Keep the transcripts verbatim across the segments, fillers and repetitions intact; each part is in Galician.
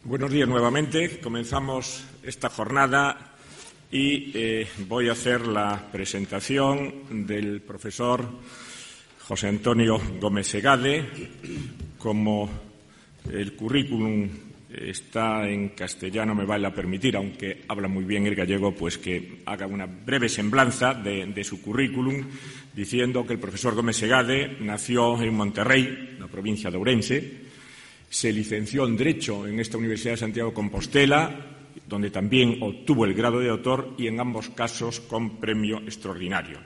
Buenos días nuevamente. Comenzamos esta jornada y eh, voy a hacer la presentación del profesor José Antonio Gómez Segade. Como el currículum está en castellano, me vale a permitir, aunque habla muy bien el gallego, pues que haga una breve semblanza de, de su currículum, diciendo que el profesor Gómez Segade nació en Monterrey, la provincia de Ourense. Se licenció en Derecho en esta Universidad de Santiago de Compostela, donde también obtuvo el grado de autor y en ambos casos con premio extraordinario.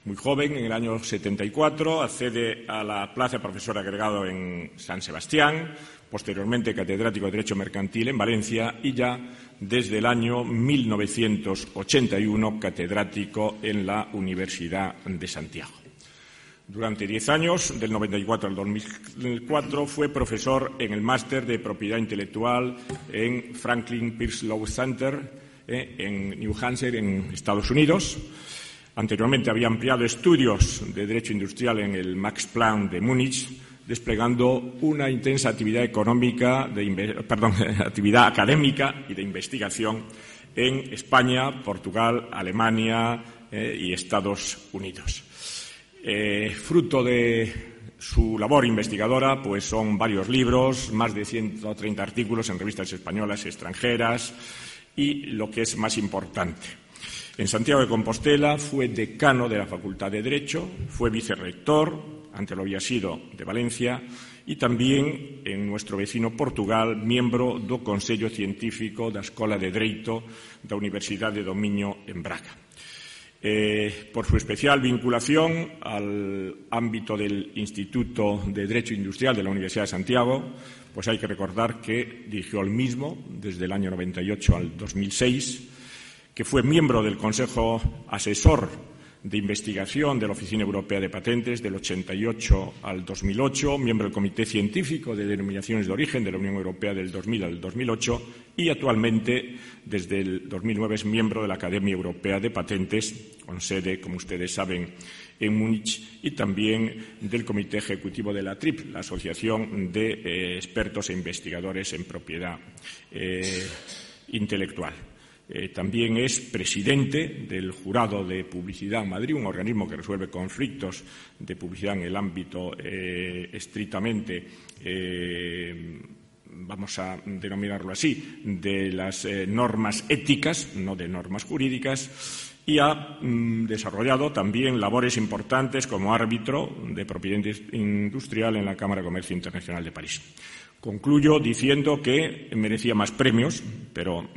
Muy joven, en el año setenta y cuatro, accede a la plaza de profesor agregado en San Sebastián, posteriormente catedrático de Derecho Mercantil en Valencia y ya desde el año mil novecientos ochenta y uno catedrático en la Universidad de Santiago. Durante diez años, del noventa y cuatro al dos mil cuatro, fue profesor en el máster de Propiedad Intelectual en Franklin Pierce Law Center, eh, en New Hampshire, en Estados Unidos. Anteriormente había ampliado estudios de Derecho Industrial en el Max Planck de Múnich, desplegando una intensa actividad económica, de, perdón, actividad académica y de investigación en España, Portugal, Alemania eh, y Estados Unidos. Eh, fruto de su labor investigadora, pues son varios libros, más de ciento treinta artículos en revistas españolas y extranjeras y, lo que es más importante, en Santiago de Compostela fue decano de la Facultad de Derecho, fue vicerrector, antes lo había sido, de Valencia, y también en nuestro vecino Portugal, miembro do Consello Científico da Escola de Dereito da Universidade do Miño en Braga. Eh, por su especial vinculación al ámbito del Instituto de Derecho Industrial de la Universidad de Santiago, pues hay que recordar que dirigió el mismo desde el año noventa y ocho al dos mil seis, que fue miembro del Consejo Asesor de Investigación de la Oficina Europea de Patentes del ochenta y ocho al dos mil ocho, miembro del Comité Científico de Denominaciones de Origen de la Unión Europea del dos mil al dos mil ocho y actualmente, desde el dos mil nueve, es miembro de la Academia Europea de Patentes, con sede, como ustedes saben, en Múnich, y también del Comité Ejecutivo de la T R I P, la Asociación de eh, Expertos e Investigadores en Propiedad eh, Intelectual. Eh, también es presidente del Jurado de Publicidad en Madrid, un organismo que resuelve conflictos de publicidad en el ámbito eh, estrictamente, eh, vamos a denominarlo así, de las eh, normas éticas, no de normas jurídicas, y ha mm, desarrollado también labores importantes como árbitro de propiedad industrial en la Cámara de Comercio Internacional de París. Concluyo diciendo que merecía más premios, pero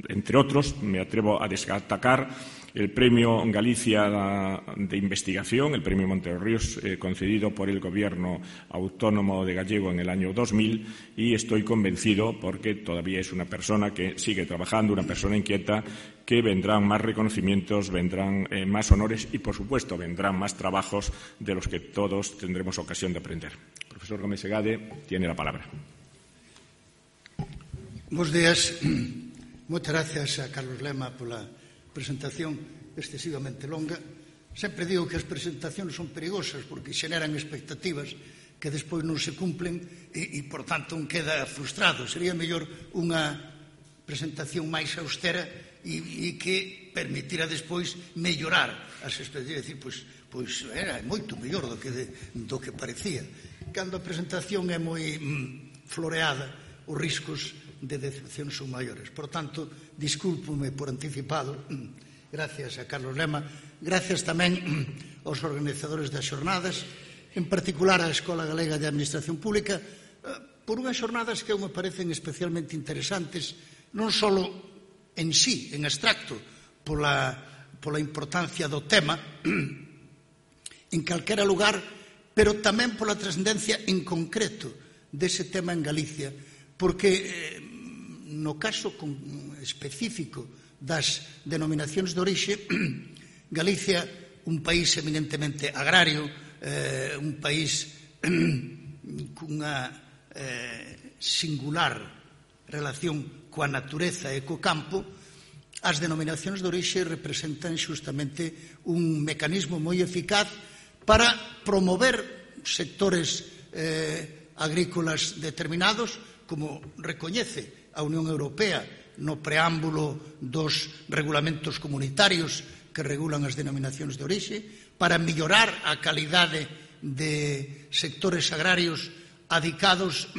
entre otros, me atrevo a destacar el Premio Galicia de Investigación, el Premio Monteros eh, concedido por el Gobierno Autónomo de Gallego en el año dos mil, y estoy convencido, porque todavía es una persona que sigue trabajando, una persona inquieta, que vendrán más reconocimientos, vendrán eh, más honores y, por supuesto, vendrán más trabajos de los que todos tendremos ocasión de aprender. Profesor Gómez Segade, tiene la palabra. Buenos días. Moitas gracias a Carlos Lema pola presentación excesivamente longa. Sempre digo que as presentacións son perigosas porque xeneran expectativas que despois non se cumplen e, e por tanto, un queda frustrado. Sería mellor unha presentación máis austera e, e que permitira despois mellorar as expectativas. Decir, pois, pois era moito mellor do que, de, do que parecía. Cando a presentación é moi mm, floreada, os riscos de decepción son maiores. Por tanto, discúlpome por anticipado, gracias a Carlos Lema, gracias tamén aos organizadores das xornadas, en particular á Escola Galega de Administración Pública, por unhas xornadas que me parecen especialmente interesantes, non só en sí, en abstracto, pola, pola importancia do tema, en calquera lugar, pero tamén pola trascendencia en concreto dese tema en Galicia, porque no caso específico das denominacións de orixe, Galicia, un país eminentemente agrario, eh, un país cunha eh, singular relación coa natureza e co campo, as denominacións de orixe representan xustamente un mecanismo moi eficaz para promover sectores eh, agrícolas determinados, como recoñece a Unión Europea no preámbulo dos regulamentos comunitarios que regulan as denominacións de orixe, para mellorar a calidade de sectores agrarios adicados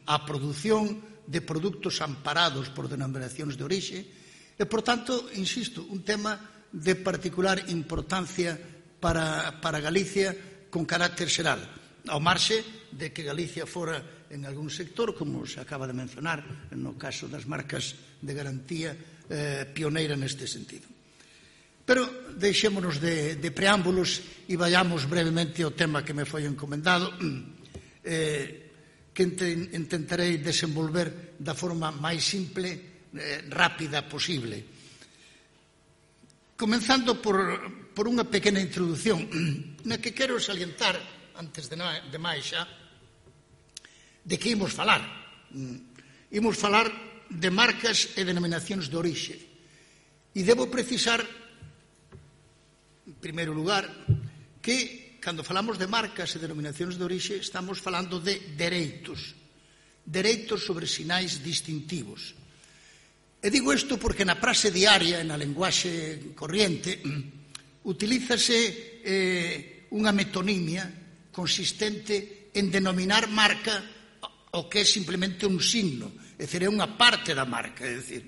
á produción de produtos amparados por denominacións de orixe, e, por tanto, insisto, un tema de particular importancia para, para Galicia con carácter xeral, ao marxe de que Galicia fora en algún sector, como se acaba de mencionar no caso das marcas de garantía, eh, pioneira neste sentido. Pero deixémonos de, de preámbulos e vayamos brevemente ao tema que me foi encomendado, eh, que intentarei desenvolver da forma máis simple, eh, rápida posible. Comenzando por, por unha pequena introdución, na que quero salientar, antes de, na, de máis xa, de que imos falar. Imos falar de marcas e denominacións de orixe. E debo precisar, en primeiro lugar, que cando falamos de marcas e denominacións de orixe estamos falando de dereitos, dereitos sobre sinais distintivos. E digo isto porque na praxe diaria, na lenguaxe corriente, utilízase eh, unha metonimia consistente en denominar marca o que é simplemente un signo, é dicir, é unha parte da marca, é dicir,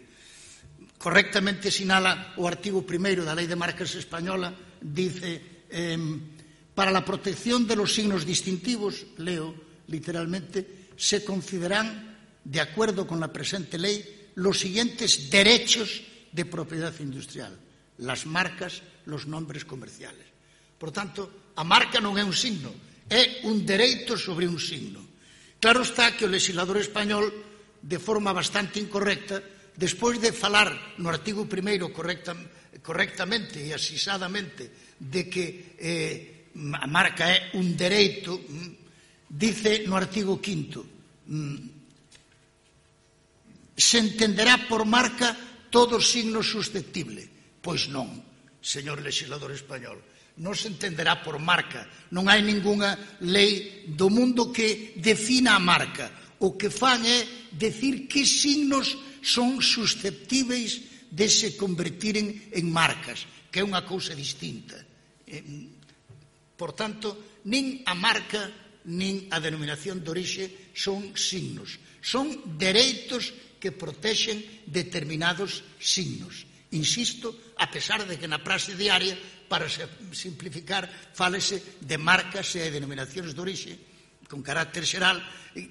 correctamente sinala o artigo primeiro da Lei de Marcas Española, dice, eh, para la protección de los signos distintivos, leo literalmente, se consideran, de acuerdo con la presente ley, los siguientes derechos de propiedad industrial: las marcas, los nombres comerciales. Por tanto, a marca non é un signo, é un dereito sobre un signo. Claro está que o legislador español, de forma bastante incorrecta, despois de falar no artigo primeiro correcta, correctamente e asisadamente de que eh, a marca é un dereito, dice no artigo quinto, se entenderá por marca todo signo susceptible. Pois non, señor legislador español, non se entenderá por marca. Non hai ningunha lei do mundo que defina a marca. O que fan é decir que signos son susceptíveis de se convertiren en marcas, que é unha cousa distinta. Por tanto, nin a marca nin a denominación de orixe son signos. Son dereitos que protexen determinados signos. Insisto, a pesar de que na praxe diaria, para simplificar, fálese de marcas e denominacións de orixe con carácter xeral,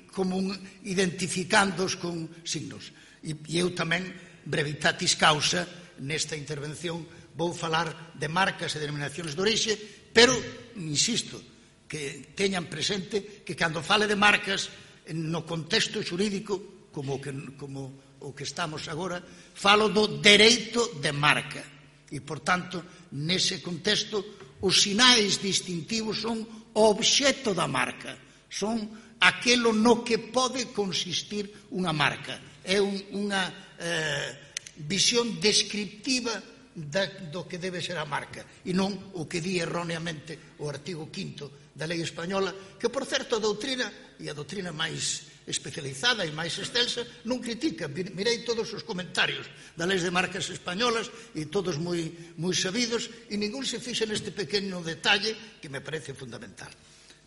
como identificándoos con signos. E eu tamén, brevitatis causa, nesta intervención vou falar de marcas e denominacións de orixe, pero, insisto, que teñan presente que cando fale de marcas, no contexto xurídico, como o que, como o que estamos agora, falo do dereito de marca. E, por tanto, nese contexto, os sinais distintivos son o obxecto da marca, son aquelo no que pode consistir unha marca. É un, unha eh, visión descriptiva da, do que debe ser a marca, e non o que di erróneamente o artigo quinto da lei española, que, por certo, a doutrina, e a doutrina máis especializada e máis extensa, non critica. Mirei todos os comentarios da leis de marcas españolas e todos moi, moi sabidos, e ningún se fixa neste pequeno detalle que me parece fundamental.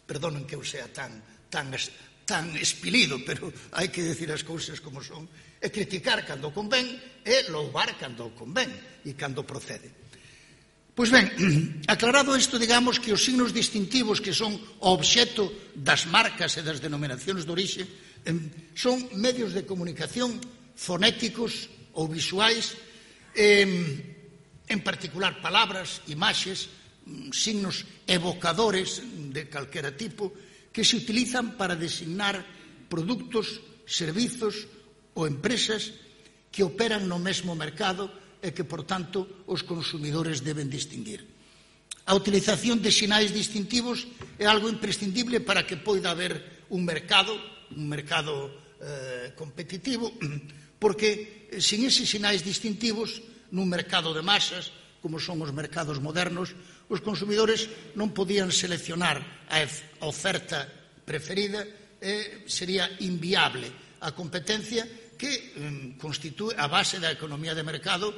Perdonen que eu sea tan, tan, tan espilido, pero hai que decir as cousas como son, e criticar cando convén e louvar cando convén e cando procede. Pois ben, aclarado isto, digamos que os signos distintivos que son o obxecto das marcas e das denominacións de orixe son medios de comunicación fonéticos ou visuais, en particular palabras, imaxes, signos evocadores de calquera tipo, que se utilizan para designar produtos, servizos ou empresas que operan no mesmo mercado e que, por tanto, os consumidores deben distinguir. A utilización de sinais distintivos é algo imprescindible para que poida haber un mercado, un mercado eh, competitivo, porque sin eses sinais distintivos, nun mercado de masas, como son os mercados modernos, os consumidores non podían seleccionar a oferta preferida e sería inviable a competencia que constitúe a base da economía de mercado,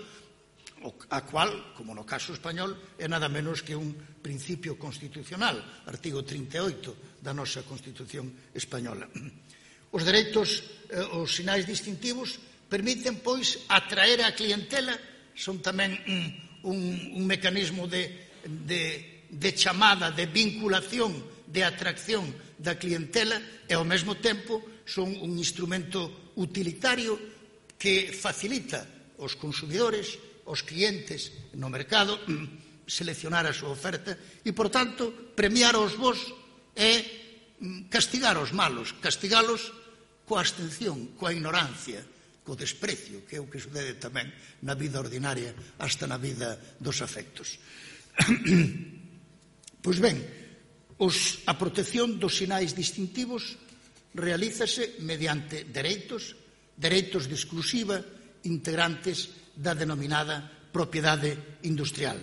a cual, como no caso español, é nada menos que un principio constitucional, artigo trinta e oito da nosa Constitución española. Os dereitos, os sinais distintivos, permiten, pois, atraer a clientela, son tamén un, un mecanismo de, de, de chamada, de vinculación, de atracción da clientela e, ao mesmo tempo, son un instrumento utilitario que facilita aos consumidores, aos clientes no mercado, seleccionar a súa oferta e, por tanto, premiar aos bons é castigar aos malos, castigalos coa abstención, coa ignorancia, co desprecio, que é o que sucede tamén na vida ordinaria, hasta na vida dos afectos. Pois ben, os, a protección dos sinais distintivos realízase mediante dereitos, dereitos de exclusiva integrantes da denominada propiedade industrial.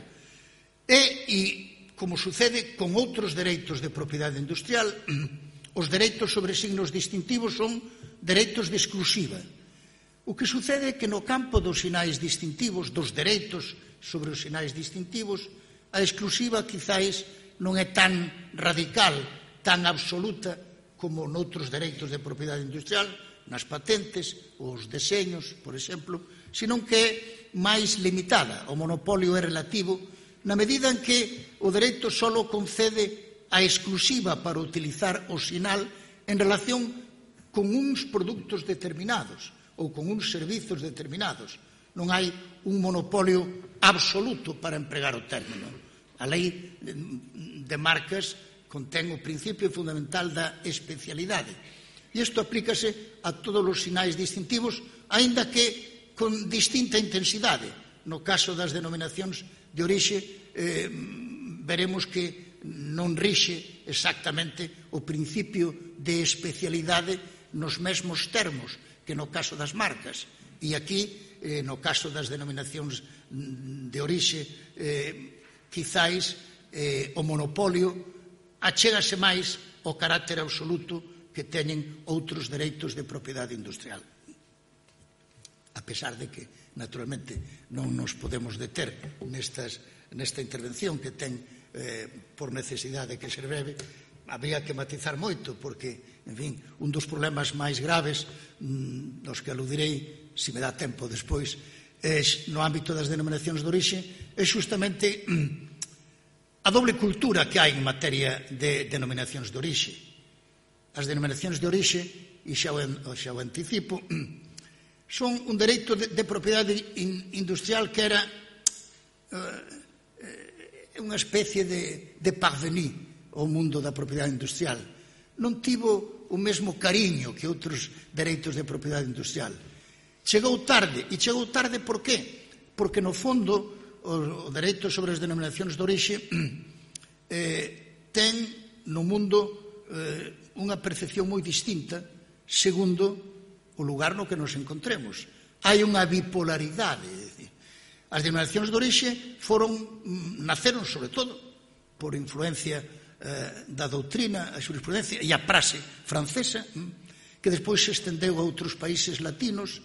E, e como sucede con outros dereitos de propiedade industrial, os dereitos sobre signos distintivos son dereitos de exclusiva. O que sucede é que no campo dos sinais distintivos, dos dereitos sobre os sinais distintivos, a exclusiva quizáis non é tan radical, tan absoluta como noutros dereitos de propiedade industrial, nas patentes, os deseños, por exemplo, senón que é máis limitada. O monopolio é relativo na medida en que o dereito só concede a exclusiva para utilizar o sinal en relación con uns produtos determinados ou con uns servizos determinados. Non hai un monopolio absoluto para empregar o término. A lei de marcas contén o principio fundamental da especialidade. E isto aplícase a todos os sinais distintivos, aínda que con distinta intensidade. No caso das denominacións de orixe, eh, veremos que non rixe exactamente o principio de especialidade nos mesmos termos que no caso das marcas. E aquí, eh, no caso das denominacións de orixe, eh, quizáis eh, o monopolio achégase máis ao carácter absoluto que teñen outros dereitos de propiedade industrial. A pesar de que, naturalmente, non nos podemos deter nestas, nesta intervención que ten eh, por necesidade que ser breve, habría que matizar moito, porque, en fin, un dos problemas máis graves mmm, dos que aludirei, se me dá tempo despois, é, no ámbito das denominacións de orixe, é justamente mmm, a doble cultura que hai en materia de denominacións de orixe. As denominacións de orixe, e xa o, xa o anticipo, son un dereito de, de propiedade in, industrial que era uh, unha especie de, de parvenu ao mundo da propiedade industrial. Non tivo o mesmo cariño que outros dereitos de propiedade industrial. Chegou tarde, e chegou tarde por qué? Porque, no fondo, o, o dereito sobre as denominacións de orixe eh, ten no mundo eh, unha percepción moi distinta segundo o lugar no que nos encontremos. Hai unha bipolaridade. As denominacións de orixe foron, naceron, sobre todo, por influencia eh, da doutrina, a xurisprudencia e a praxe francesa, que despois se estendeu a outros países latinos,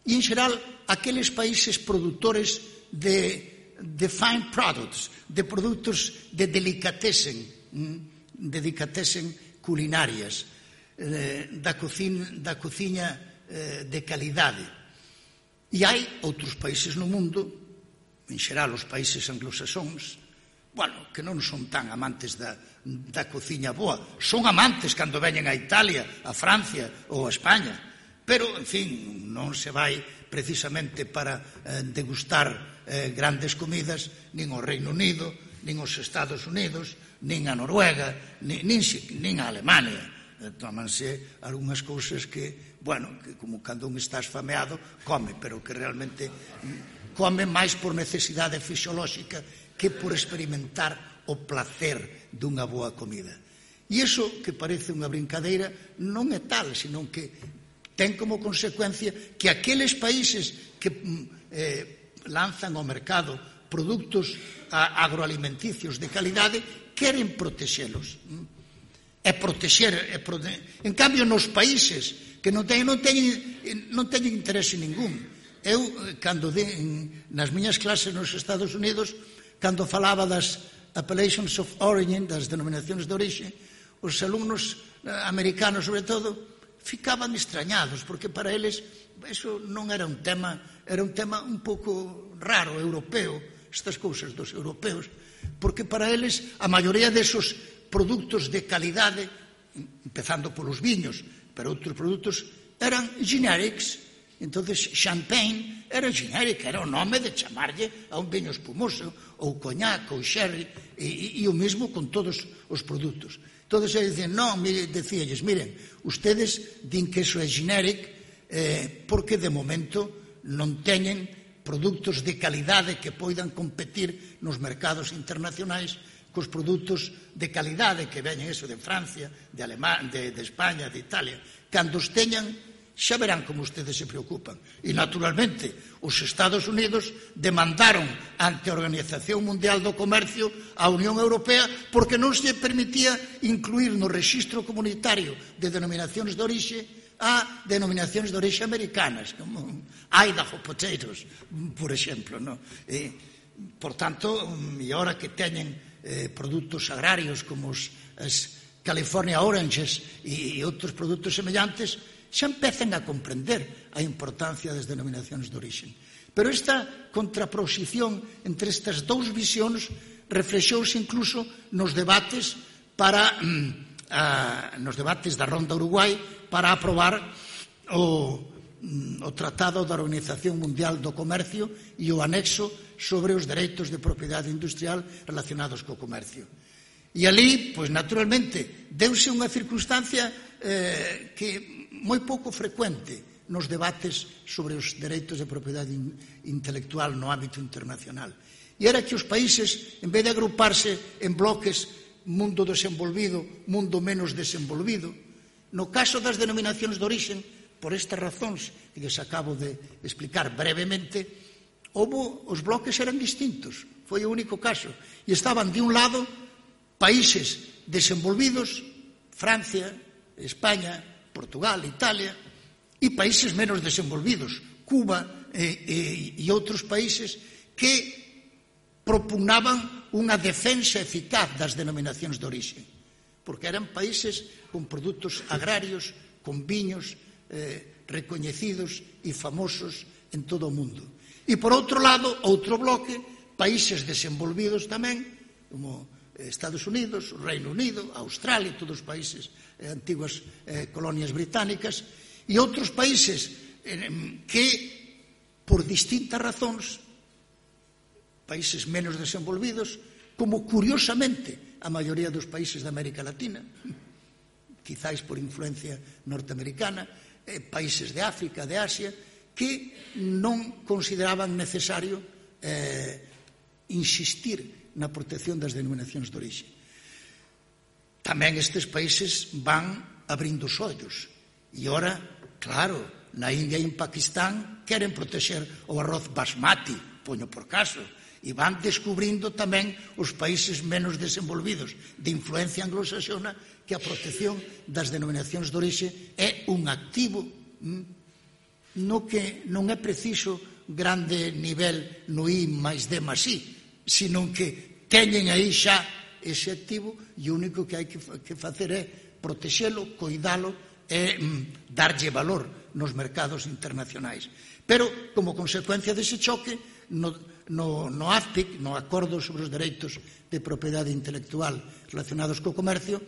e, en xeral, aqueles países produtores de, de fine products, de produtos de delicatessen, de delicatessen culinarias, eh, da, cocina, da cociña eh, de calidade. E hai outros países no mundo, en xeral os países anglosaxóns, bueno, que non son tan amantes da, da cociña boa, son amantes cando veñen a Italia, a Francia ou a España, pero, en fin, non se vai precisamente para eh, degustar eh, grandes comidas nin ao Reino Unido, nin aos Estados Unidos, nin a Noruega, nin, nin, nin a Alemania. Eh, tómanse algunhas cousas que, bueno, que como cando un está esfameado, come, pero que realmente come máis por necesidade fisiolóxica que por experimentar o placer dunha boa comida. E iso, que parece unha brincadeira, non é tal, senón que ten como consecuencia que aqueles países que eh, lanzan ao mercado produtos agroalimenticios de calidade queren protexelos. E protexer, e prote... En cambio, nos países que non teñen, non teñen, non teñen interese ningún. Eu, cando de, nas miñas clases nos Estados Unidos, cando falaba das appellations of origin, das denominacións de orixe, os alumnos americanos, sobre todo, ficaban extrañados, porque para eles eso non era un tema, era un tema un pouco raro, europeo, estas cousas dos europeos, porque para eles a maioría desos produtos de calidade, empezando polos viños, pero outros produtos eran generics. Entonces, champagne era genérica, era o nome de chamarlle a un viño espumoso, ou coñac, ou sherry, e, e, e o mesmo con todos os produtos. Todos eles dicen, non, decíalles, miren, ustedes din que eso é generic eh, porque de momento non teñen produtos de calidade que poidan competir nos mercados internacionais cos produtos de calidade que veñen eso de Francia, de Alemania, de, de España, de Italia. Cando os teñan, xa verán como ustedes se preocupan. E, naturalmente, os Estados Unidos demandaron ante a Organización Mundial do Comercio a Unión Europea porque non se permitía incluir no rexistro comunitario de denominacións de orixe a denominacións de orixe americanas, como Idaho potatoes, por exemplo. No? E, por tanto, e ahora que teñen eh, produtos agrarios como os, as California Oranges e, e outros produtos semellantes, xa empezan a comprender a importancia das denominacións de orixe. Pero esta contraposición entre estas dous visións reflexouse incluso nos debates para a, nos debates da Ronda Uruguai para aprobar o, o Tratado da Organización Mundial do Comercio e o anexo sobre os dereitos de propiedade industrial relacionados co comercio. E ali, pois naturalmente, deuse unha circunstancia eh, que moi pouco frecuente nos debates sobre os dereitos de propiedade intelectual no ámbito internacional. E era que os países, en vez de agruparse en bloques mundo desenvolvido, mundo menos desenvolvido, no caso das denominacións de orixe, por estas razóns que les acabo de explicar brevemente, houve, os bloques eran distintos, foi o único caso. E estaban, de un lado, países desenvolvidos, Francia, España, Portugal, Italia, e países menos desenvolvidos, Cuba e, e, e outros países que propugnaban unha defensa eficaz das denominacións de orixe, porque eran países con produtos agrarios, con viños eh, recoñecidos e famosos en todo o mundo. E, por outro lado, outro bloque, países desenvolvidos tamén, como Estados Unidos, o Reino Unido, Australia, todos os países eh, antiguas eh, colonias británicas, e outros países eh, que, por distintas razóns, países menos desenvolvidos, como curiosamente a maioría dos países da América Latina, quizáis por influencia norteamericana, eh, países de África, de Asia, que non consideraban necesario eh, insistir na protección das denominacións de orixe. Tamén estes países van abrindo os ollos. E ora, claro, na India e en Pakistán queren protexer o arroz basmati, poño por caso, e van descubrindo tamén os países menos desenvolvidos de influencia anglosaxona que a protección das denominacións de orixe é un activo no que non é preciso grande nivel no I máis D máis I, sino que teñen aí xa ese activo e o único que hai que facer é protexelo, coidalo e mm, darlle valor nos mercados internacionais. Pero, como consecuencia dese choque, no, no, no A F P I C, no Acordo sobre os Dereitos de Propiedade Intelectual relacionados co comercio,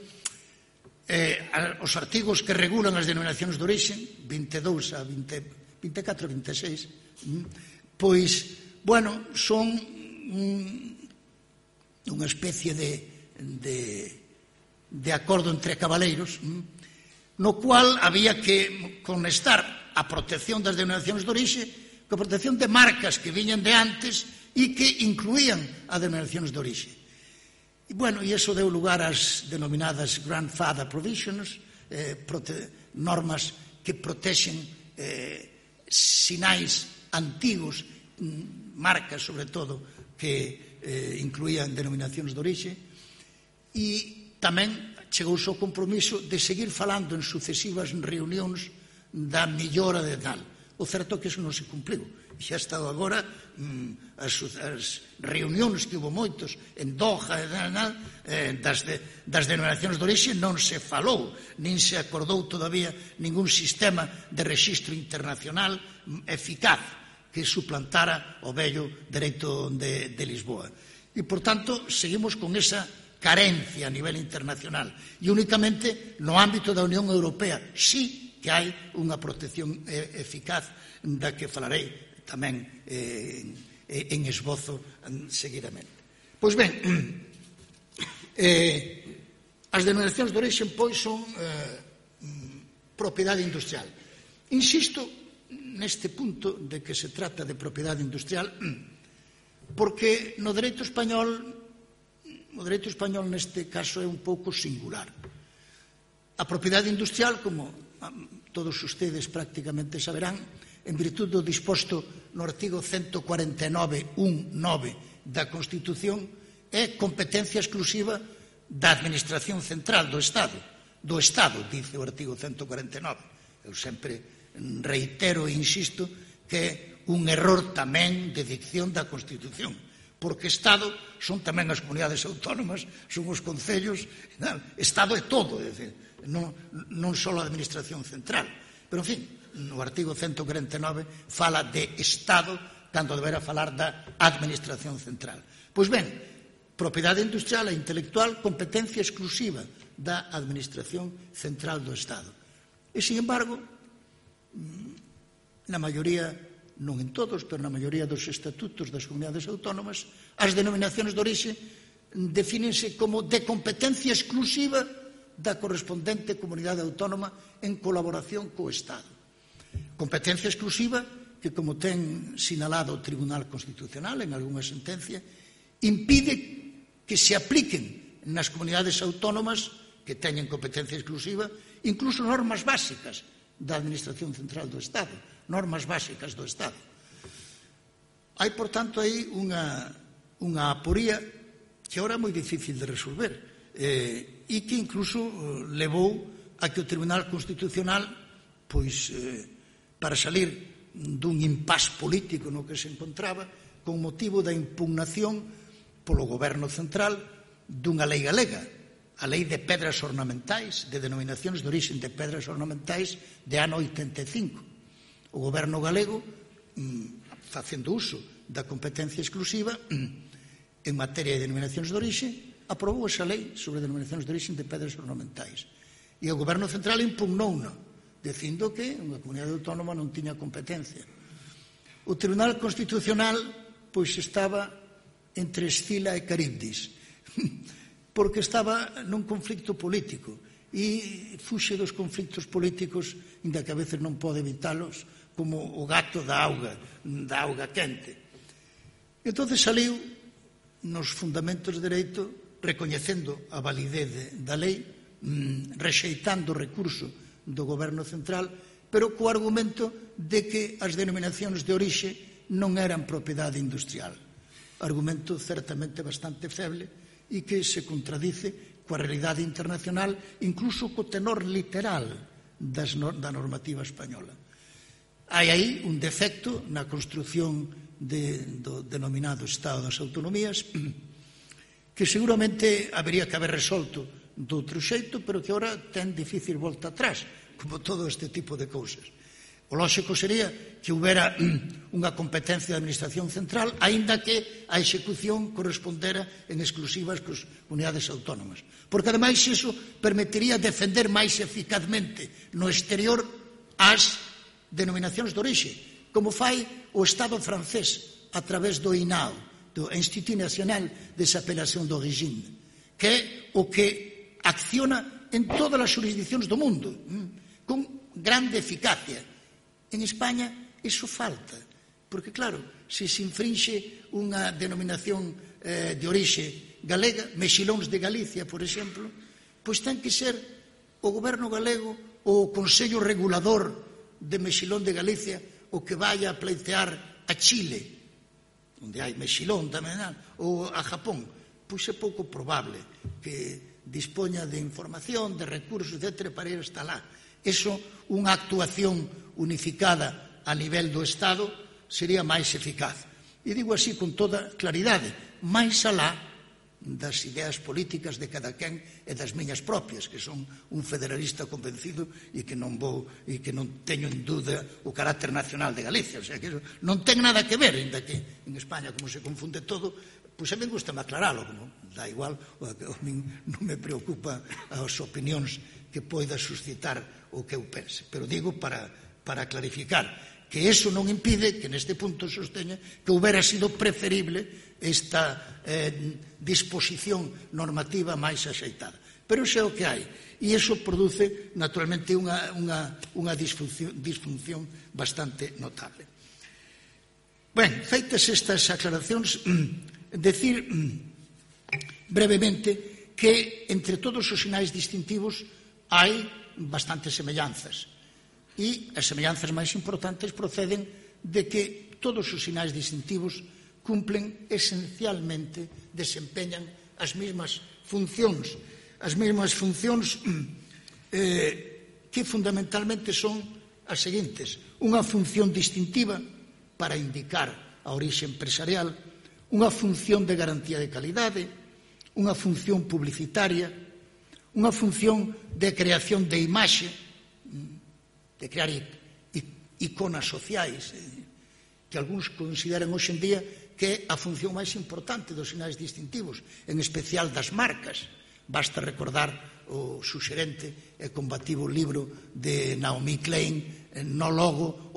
eh, os artigos que regulan as denominacións de orixe, vinte e dous a vinte, vinte e catro a vinte e seis, mm, pois, bueno, son mm, unha especie de, de, de acordo entre cabaleiros, mm, no cual había que conectar a protección das denominacións de orixe coa protección de marcas que viñan de antes e que incluían as denominacións de orixe. E, bueno, e iso deu lugar ás denominadas grandfather provisions, eh, prote, normas que protexen eh, sinais antigos, marcas, sobre todo, que eh, incluían denominacións de orixe, e tamén chegouse ao compromiso de seguir falando en sucesivas reunións da millora de tal. O certo é que iso non se cumpliu. Xa ha estado agora as, as reunións que hubo moitos en Doha e tal, eh, das, de, das denominacións de orixe non se falou, nin se acordou todavía ningún sistema de rexistro internacional eficaz que suplantara o vello dereito de, de Lisboa. E, por tanto, seguimos con esa carencia a nivel internacional e únicamente no ámbito da Unión Europea sí que hai unha protección eficaz da que falarei tamén eh, en esbozo seguidamente. Pois ben, eh, as denominacións de orixe pois son eh, propiedade industrial. Insisto neste punto de que se trata de propiedade industrial porque no dereito español o dereito español neste caso é un pouco singular. A propiedade industrial, como todos ustedes prácticamente saberán, en virtud do disposto no artigo ciento cuarenta e nove punto nove da Constitución, é competencia exclusiva da Administración Central do Estado. Do Estado, dice o artigo ciento cuarenta e nove. Eu sempre reitero e insisto que é un error tamén de dicción da Constitución, porque Estado son tamén as comunidades autónomas, son os concellos, Estado é todo, é dicir, non, non só a Administración Central. Pero, en fin, no artigo ciento cuarenta e nove fala de Estado cando deberá falar da Administración Central. Pois ben, propiedade industrial e intelectual, competencia exclusiva da Administración Central do Estado. E, sin embargo, na maioría, non en todos, pero na maioría dos estatutos das comunidades autónomas, as denominacións de orixe defínense como de competencia exclusiva da correspondente comunidade autónoma en colaboración co Estado. Competencia exclusiva que, como ten sinalado o Tribunal Constitucional en algunha sentencia, impide que se apliquen nas comunidades autónomas que teñen competencia exclusiva incluso normas básicas da Administración Central do Estado, normas básicas do Estado. Hai, por tanto, aí unha, unha aporía que agora é moi difícil de resolver eh, e que incluso levou a que o Tribunal Constitucional, pois, eh, para salir dun impás político no que se encontraba, con motivo da impugnación polo Goberno Central dunha lei galega, a Lei de Pedras Ornamentais, de denominacións de orixe de pedras ornamentais de ano oitenta e cinco. O Goberno galego, facendo uso da competencia exclusiva en materia de denominacións de orixe, aprobou esa lei sobre denominacións de orixe de pedras ornamentais. E o Goberno Central impugnou-na, dicindo que unha comunidade autónoma non tiña competencia. O Tribunal Constitucional, pois, estaba entre Escila e Caribdis, porque estaba nun conflicto político e fuxe dos conflictos políticos, inda que a veces non pode evitalos, como o gato da auga, da auga quente. Entón saliu nos fundamentos de dereito recoñecendo a validez da lei, rexeitando o recurso do Goberno Central, pero co argumento de que as denominacións de orixe non eran propiedade industrial. Argumento certamente bastante feble e que se contradice coa realidade internacional, incluso co tenor literal das, da normativa española. Hai aí un defecto na construción de, do denominado Estado das Autonomías que seguramente habería que haber resolto doutro xeito, pero que agora ten difícil volta atrás, como todo este tipo de cousas. O lóxico sería que houbera unha competencia de administración central, aínda que a execución correspondera en exclusivas cos unidades autónomas. Porque, ademais, iso permitiría defender máis eficazmente no exterior as denominacións de orixe, como fai o Estado francés a través do I N A O, do Institut National des Appellations d'Origine, que é o que acciona en todas as jurisdiccións do mundo, con grande eficacia. En España iso falta, porque claro, se se infrinxe unha denominación eh, de orixe galega, mexilóns de Galicia, por exemplo, pois ten que ser o goberno galego ou o Consello Regulador de Mexilón de Galicia o que vai a pleitear a Chile, onde hai mexilón tamén, ou a Japón. Pois é pouco probable que dispoña de información, de recursos, etcétera, para ir hasta lá. Eso, unha actuación unificada a nivel do Estado sería máis eficaz. E digo así con toda claridade, máis alá das ideas políticas de cada quen e das miñas propias, que son un federalista convencido e que non vou e que non teño en dúda o carácter nacional de Galicia, o sea, que non ten nada que ver, ainda que en España como se confunde todo, pois a mí gusta me aclaralo, non? Da igual, a mí non me preocupa as opinións que poida suscitar o que eu pense, pero digo para, para clarificar que eso non impide que neste punto sosteña que houbera sido preferible esta eh, disposición normativa máis axeitada. Pero iso é o que hai, e iso produce naturalmente unha, unha, unha disfunción, disfunción bastante notable. Ben, feitas estas aclaracións, decir brevemente que entre todos os sinais distintivos hai bastantes semellanzas e as semellanzas máis importantes proceden de que todos os sinais distintivos cumplen esencialmente, desempeñan as mesmas funcións, as mesmas funcións eh, que fundamentalmente son as seguintes: unha función distintiva para indicar a orixe empresarial, unha función de garantía de calidade, unha función publicitaria, unha función de creación de imaxe, de crear iconas sociais, que algúns consideran hoxe en día que é a función máis importante dos sinais distintivos, en especial das marcas. Basta recordar o suxerente e combativo libro de Naomi Klein, No Logo,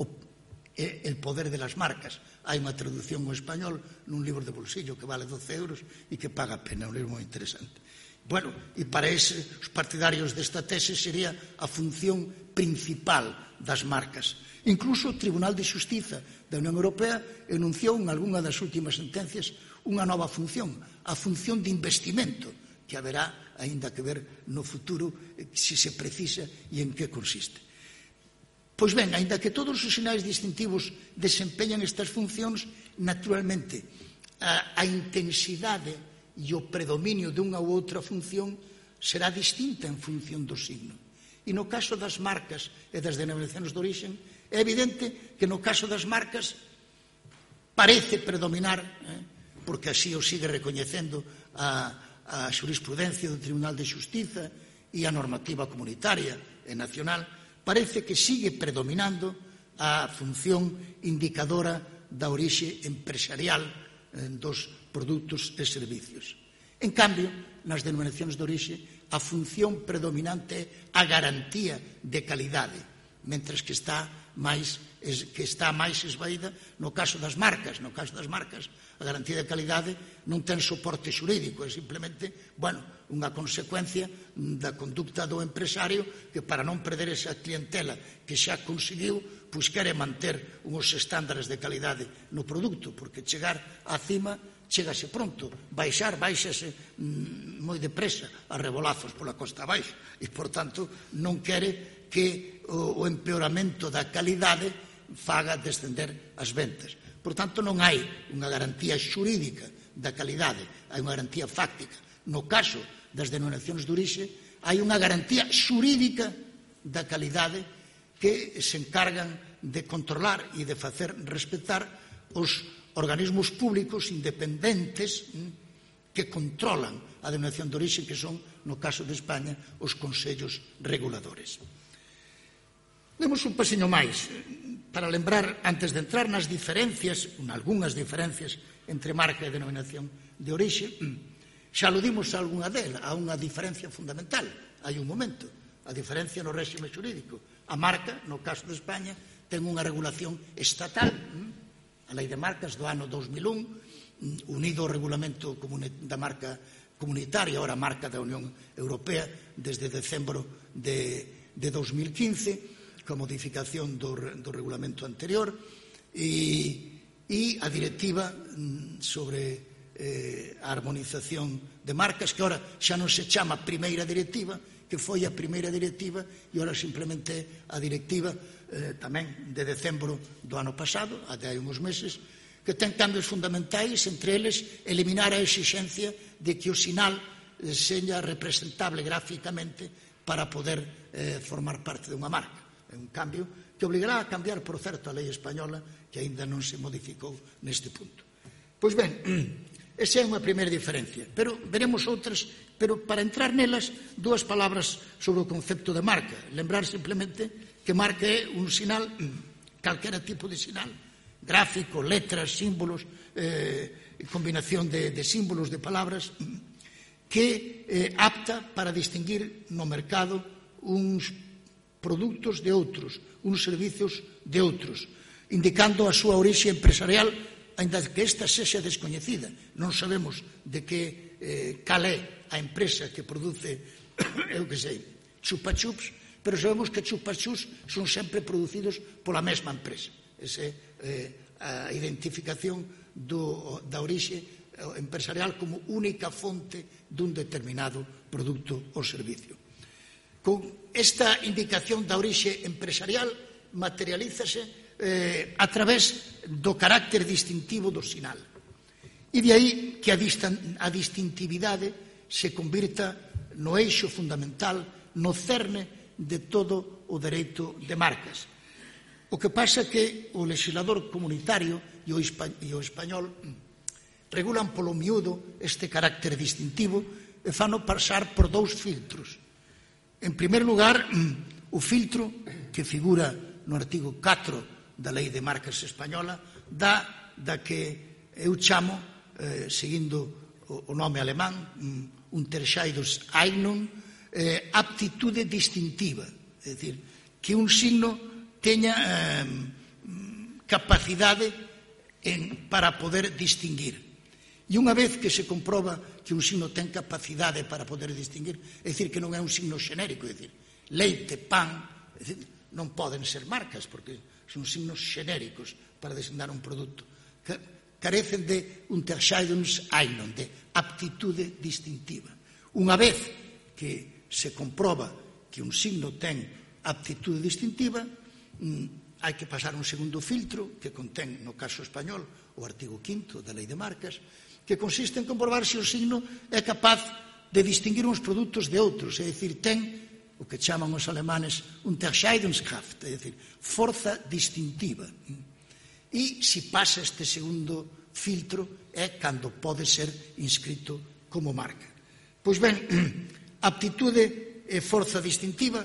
El poder de las marcas. Hai unha traducción ao español nun libro de bolsillo que vale doce euros e que paga a pena, un libro moi interesante. Bueno, e para ese, os partidarios desta tese sería a función principal das marcas. Incluso o Tribunal de Xustiza da Unión Europea enunciou en algunha das últimas sentencias unha nova función, a función de investimento, que haberá aínda que ver no futuro se se precisa e en que consiste. Pois ben, aínda que todos os sinais distintivos desempeñan estas funcións, naturalmente, a, a intensidade e o predominio dunha ou outra función será distinta en función do signo. E no caso das marcas e das denominacións de orixen, é evidente que no caso das marcas parece predominar, eh, porque así o sigue recoñecendo a, a xurisprudencia do Tribunal de Xustiza e a normativa comunitaria e nacional, parece que sigue predominando a función indicadora da orixe empresarial dos produtos e servicios. En cambio, nas denominacións de orixe, a función predominante é a garantía de calidade, mentres que está máis que está máis esvaída no caso das marcas. No caso das marcas, a garantía de calidade non ten soporte xurídico, é simplemente, bueno, unha consecuencia da conducta do empresario que, para non perder esa clientela que xa conseguiu, pois quere manter uns estándares de calidade no produto, porque chegar á cima chegase pronto, baixar, baixase mmm, moi depresa a rebolazos pola costa abaixo, e, por tanto, non quere que o, o empeoramento da calidade faga descender as ventas. Por tanto, non hai unha garantía xurídica da calidade, hai unha garantía fáctica. No caso das denominacións de orixe, hai unha garantía xurídica da calidade que se encargan de controlar e de facer respetar os organismos públicos independentes que controlan a denominación de orixe, que son, no caso de España, os consellos reguladores. Demos un pasiño máis para lembrar, antes de entrar nas diferencias, algunhas diferencias entre marca e denominación de orixe, xa aludimos a algunha delas, a unha diferencia fundamental. Hai un momento, a diferencia no réxime xurídico. A marca, no caso de España, ten unha regulación estatal, a Lei de Marcas do ano dos mil un, unido ao regulamento da marca comunitaria, ora marca da Unión Europea, desde decembro de, de dos mil quince, coa modificación do, do regulamento anterior, e, e a directiva sobre eh, a armonización de marcas, que ora xa non se chama primeira directiva, que foi a primeira directiva, e ora simplemente a directiva eh, tamén de decembro do ano pasado, até hai uns meses, que ten cambios fundamentais, entre eles eliminar a exixencia de que o sinal seña representable gráficamente para poder eh, formar parte dunha marca. É un cambio que obligará a cambiar, por certo, a lei española, que aínda non se modificou neste punto. Pois ben, esa é unha primeira diferencia, pero veremos outras, pero para entrar nelas, dúas palabras sobre o concepto de marca. Lembrar simplemente que marca é un sinal, calquera tipo de sinal, gráfico, letras, símbolos, eh, combinación de, de símbolos, de palabras, que é eh, apta para distinguir no mercado uns produtos de outros, uns servicios de outros, indicando a súa orixe empresarial, ainda que esta sexa descoñecida. Non sabemos de que eh, cal é a empresa que produce, eu que sei, chupa-chups, pero sabemos que chupa-chups son sempre producidos pola mesma empresa. Esa é eh, a identificación do, da orixe empresarial como única fonte dun determinado produto ou servicio. Con esta indicación da orixe empresarial materialízase eh, a través do carácter distintivo do sinal. E de aí que a, distan, a distintividade se convirta no eixo fundamental, no cerne de todo o dereito de marcas. O que pasa é que o legislador comunitario e o, espa, e o español regulan polo miúdo este carácter distintivo e fano pasar por dous filtros. En primer lugar, o filtro que figura no artigo catro da Lei de Marcas Española dá da que eu chamo, eh, seguindo o, o nome alemán, Unterscheidungseignung, eh, aptitude distintiva, é dicir, que un signo teña eh, capacidade en, para poder distinguir. E unha vez que se comproba que un signo ten capacidade para poder distinguir, é dicir, que non é un signo xenérico, é dicir, leite, pan, é dicir, non poden ser marcas, porque son signos xenéricos para designar un produto. Carecen de Unterscheidungseignung, de aptitude distintiva. Unha vez que se comproba que un signo ten aptitude distintiva, hai que pasar un segundo filtro que contén, no caso español, o artigo quinto da Lei de Marcas, que consiste en comprobar se o signo é capaz de distinguir uns produtos de outros, é dicir, ten o que chaman os alemanes Unterscheidungskraft, é dicir, forza distintiva. E se pasa este segundo filtro é cando pode ser inscrito como marca. Pois ben, aptitude e forza distintiva,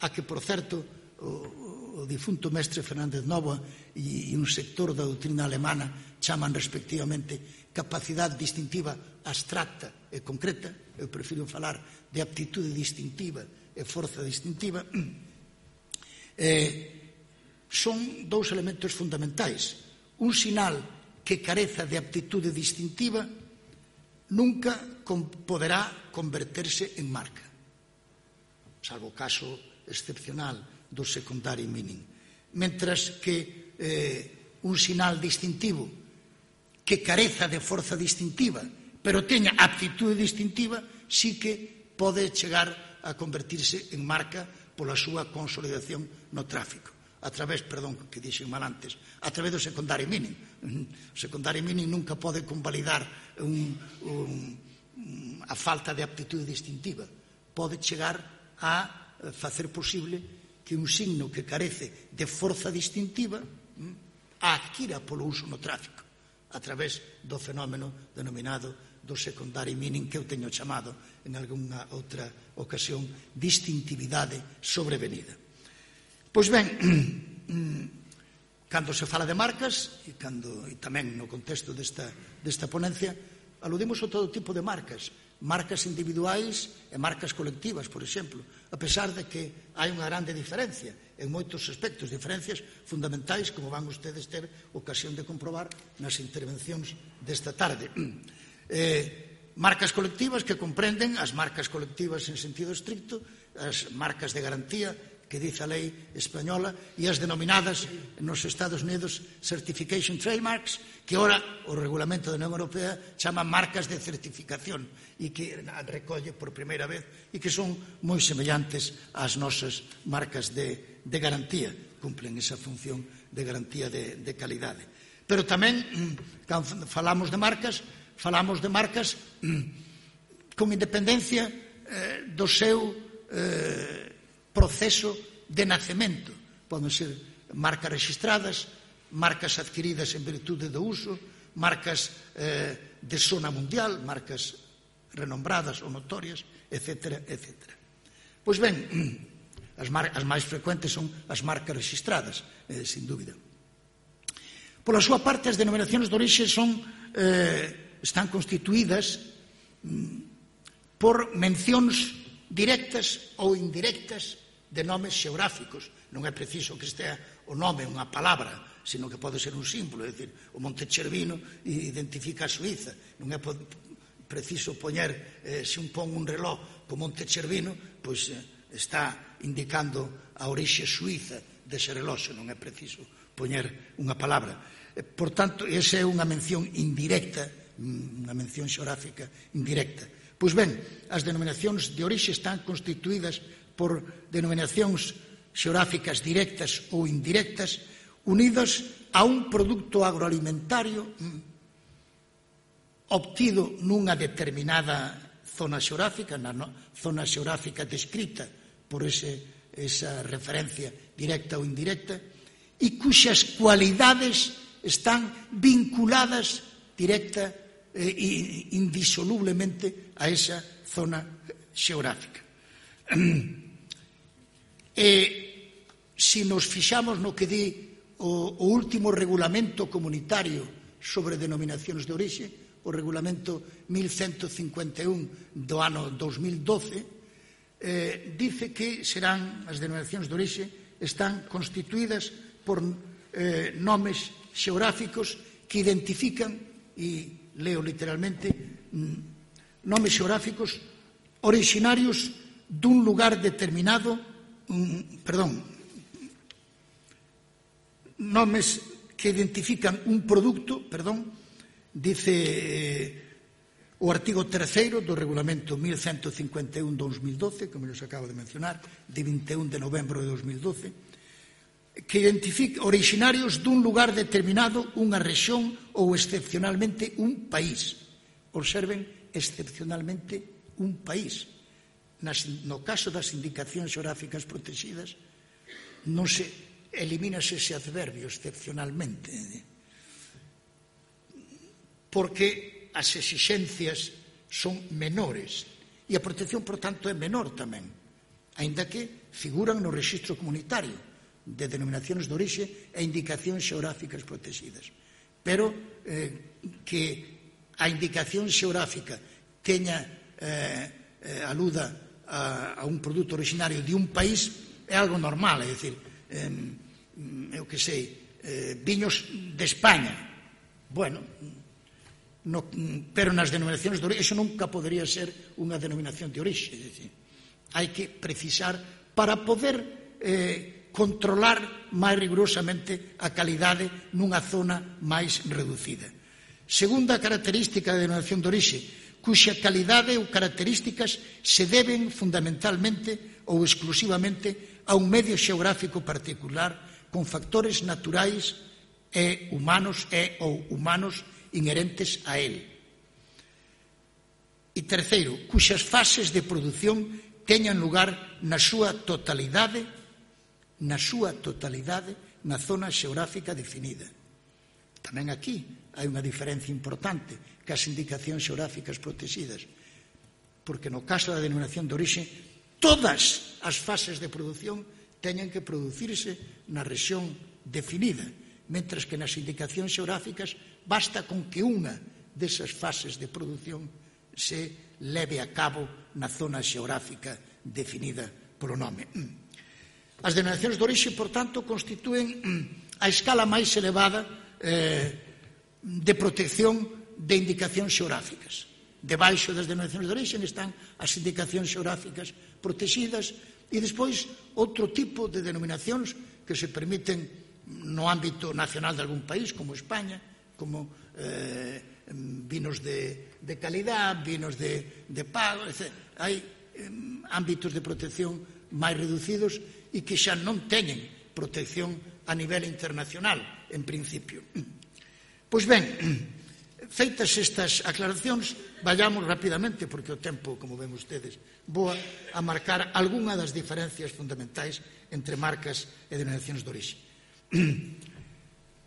a que, por certo, o, o difunto mestre Fernández Nova e, e un sector da doutrina alemana chaman respectivamente capacidade distintiva abstracta e concreta, eu prefiro falar de aptitude distintiva e forza distintiva, eh, son dous elementos fundamentais. Un sinal que careza de aptitude distintiva nunca poderá converterse en marca, salvo caso excepcional do secondary meaning. Mentras que eh, un sinal distintivo que careza de forza distintiva, pero teña aptitude distintiva, sí que pode chegar a convertirse en marca pola súa consolidación no tráfico. A través, perdón, que dixen mal antes, a través do secondary meaning. O secondary meaning nunca pode convalidar un, un, a falta de aptitude distintiva. Pode chegar a facer posible que un signo que carece de forza distintiva a adquira polo uso no tráfico, a través do fenómeno denominado do secondary meaning, que eu teño chamado en algunha outra ocasión distintividade sobrevenida. Pois ben, cando se fala de marcas, e, cando, e tamén no contexto desta, desta ponencia, aludimos a todo tipo de marcas, marcas individuais e marcas colectivas, por exemplo, a pesar de que hai unha grande diferencia en moitos aspectos, diferencias fundamentais, como van ustedes ter ocasión de comprobar nas intervencións desta tarde. Eh, marcas colectivas que comprenden as marcas colectivas en sentido estricto, as marcas de garantía que dice a lei española e as denominadas nos Estados Unidos Certification Trademarks, que ora o regulamento da Unión Europea chama marcas de certificación e que recolle por primeira vez e que son moi semellantes ás nosas marcas de, de garantía, cumplen esa función de garantía de, de calidade. Pero tamén, cando falamos de marcas, falamos de marcas con independencia eh, do seu eh, proceso de nacemento. Poden ser marcas registradas, marcas adquiridas en virtude do uso, marcas eh, de zona mundial, marcas renombradas ou notorias, etcétera, etcétera. Pois ben, as, mar as máis frecuentes son as marcas registradas, eh, sin dúbida. Pola súa parte, as denominacións de orixe son, eh, están constituídas mm, por mencións directas ou indirectas de nomes xeográficos. Non é preciso que estea o nome unha palabra, sino que pode ser un símbolo, é dicir, o Monte Cervino identifica a Suíza. Non é preciso poñer, eh, se un pon un reloj co Monte Cervino, pois eh, está indicando a orixe suíza dese reloxo, non é preciso poñer unha palabra. Eh, por tanto, esa é unha mención indirecta, unha mención xeográfica indirecta. Pois ben, as denominacións de orixe están constituídas por denominacións xeográficas directas ou indirectas unidas a un produto agroalimentario obtido nunha determinada zona xeográfica, na zona xeográfica descrita por ese, esa referencia directa ou indirecta, e cuxas cualidades están vinculadas directa e indisolublemente a esa zona xeográfica. E se nos fixamos no que di o, o último regulamento comunitario sobre denominacións de orixe, o regulamento mil ciento cincuenta e un do ano dos mil doce, eh, dice que serán as denominacións de orixe están constituídas por eh, nomes xeográficos que identifican, e leo literalmente, nomes xeográficos originarios dun lugar determinado, um, perdón, nomes que identifican un produto, perdón, dice eh, o artigo terceiro do regulamento mil ciento cincuenta e un do dos mil doce, como nos acabo de mencionar, de vinte e un de novembro de dos mil doce, que identifica originarios dun lugar determinado, unha rexión ou excepcionalmente un país. Observen, excepcionalmente un país. Nas, no caso das indicacións xeográficas protegidas, non se elimínase ese adverbio excepcionalmente, porque as exixencias son menores e a protección, por tanto, é menor tamén, aínda que figuran no rexistro comunitario de denominacións de orixe e indicacións xeográficas protegidas. Pero eh, que a indicación xeográfica teña eh, eh, aluda a, a un produto originario de un país é algo normal, é dicir, eh, eu que sei, eh, viños de España. Bueno, no, pero nas denominacións de orixe, iso nunca podería ser unha denominación de orixe, é dicir, hai que precisar para poder eh, controlar máis rigurosamente a calidade nunha zona máis reducida. Segunda característica da denominación de orixe, cuxa calidade ou características se deben fundamentalmente ou exclusivamente a un medio xeográfico particular con factores naturais e humanos e ou humanos inherentes a él. E terceiro, cuxas fases de produción teñan lugar na súa totalidade, na súa totalidade na zona xeográfica definida. Tamén aquí hai unha diferencia importante que as indicacións xeográficas protegidas, porque no caso da denominación de orixe, todas as fases de produción teñen que producirse na rexión definida, mentras que nas indicacións xeográficas basta con que unha desas fases de produción se leve a cabo na zona xeográfica definida polo nome. As denominacións de orixe, por tanto, constitúen a escala máis elevada eh, de protección de indicacións xeográficas. Debaixo das denominacións de orixe están as indicacións xeográficas protegidas e despois outro tipo de denominacións que se permiten no ámbito nacional de algún país, como España, como eh, vinos de, de calidad, vinos de, de pago, etcétera. Hai eh, ámbitos de protección máis reducidos e que xa non teñen protección a nivel internacional, en principio. Pois ben, feitas estas aclaracións, vayamos rapidamente, porque o tempo, como ven ustedes, voa a marcar algunha das diferencias fundamentais entre marcas e denominacións de orixe,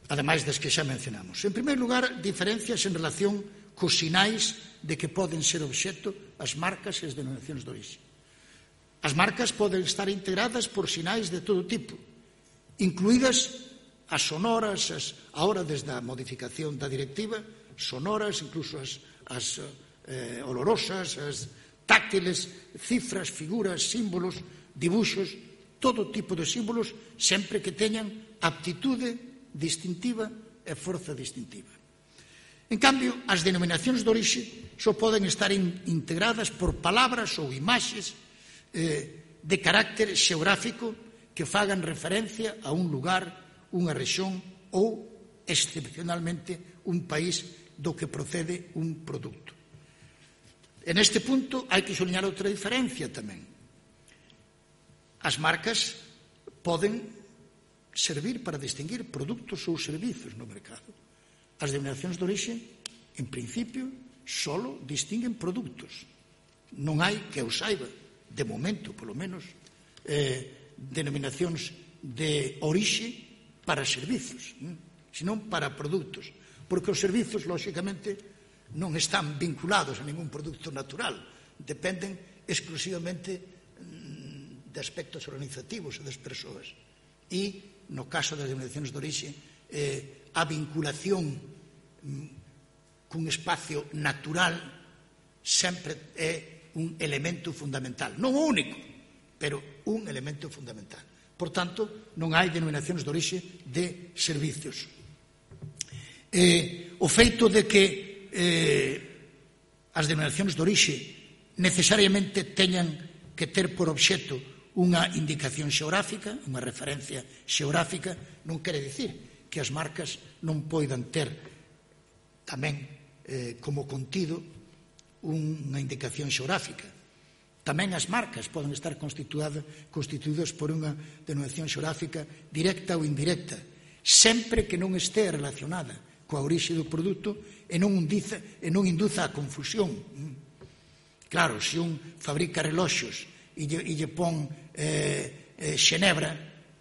ademais das que xa mencionamos. En primeiro lugar, diferencias en relación cos sinais de que poden ser obxecto as marcas e as denominacións de orixe. As marcas poden estar integradas por sinais de todo tipo, incluídas as sonoras, as, ahora desde a modificación da directiva, sonoras, incluso as, as eh, olorosas, as táctiles, cifras, figuras, símbolos, dibuxos, todo tipo de símbolos, sempre que teñan aptitude distintiva e forza distintiva. En cambio, as denominacións de orixe só poden estar in, integradas por palabras ou imaxes eh, de carácter xeográfico que fagan referencia a un lugar, unha rexión ou, excepcionalmente, un país do que procede un produto. En este punto hai que sublinhar outra diferencia tamén. As marcas poden servir para distinguir produtos ou servizos no mercado. As denominacións de orixe, en principio, solo distinguen produtos. Non hai, que eu saiba, de momento, polo menos, eh, denominacións de orixe para servizos, senón para produtos. Porque os servizos, lóxicamente, non están vinculados a ningún produto natural, dependen exclusivamente de aspectos organizativos e das persoas. E, no caso das denominacións de orixe, eh, a vinculación cun espacio natural sempre é un elemento fundamental. Non o único, pero un elemento fundamental. Por tanto, non hai denominacións de orixe de servizos. Eh, o feito de que eh, as denominacións de orixe necesariamente teñan que ter por obxecto unha indicación xeográfica, unha referencia xeográfica, non quere dicir que as marcas non poidan ter tamén eh, como contido unha indicación xeográfica. Tamén as marcas poden estar constituídas por unha denominación xeográfica directa ou indirecta, sempre que non este relacionada coa orixe do produto e non induza, e non induza a confusión. Claro, se un fabrica reloxos e lle, e lle pon eh, eh, Xenebra,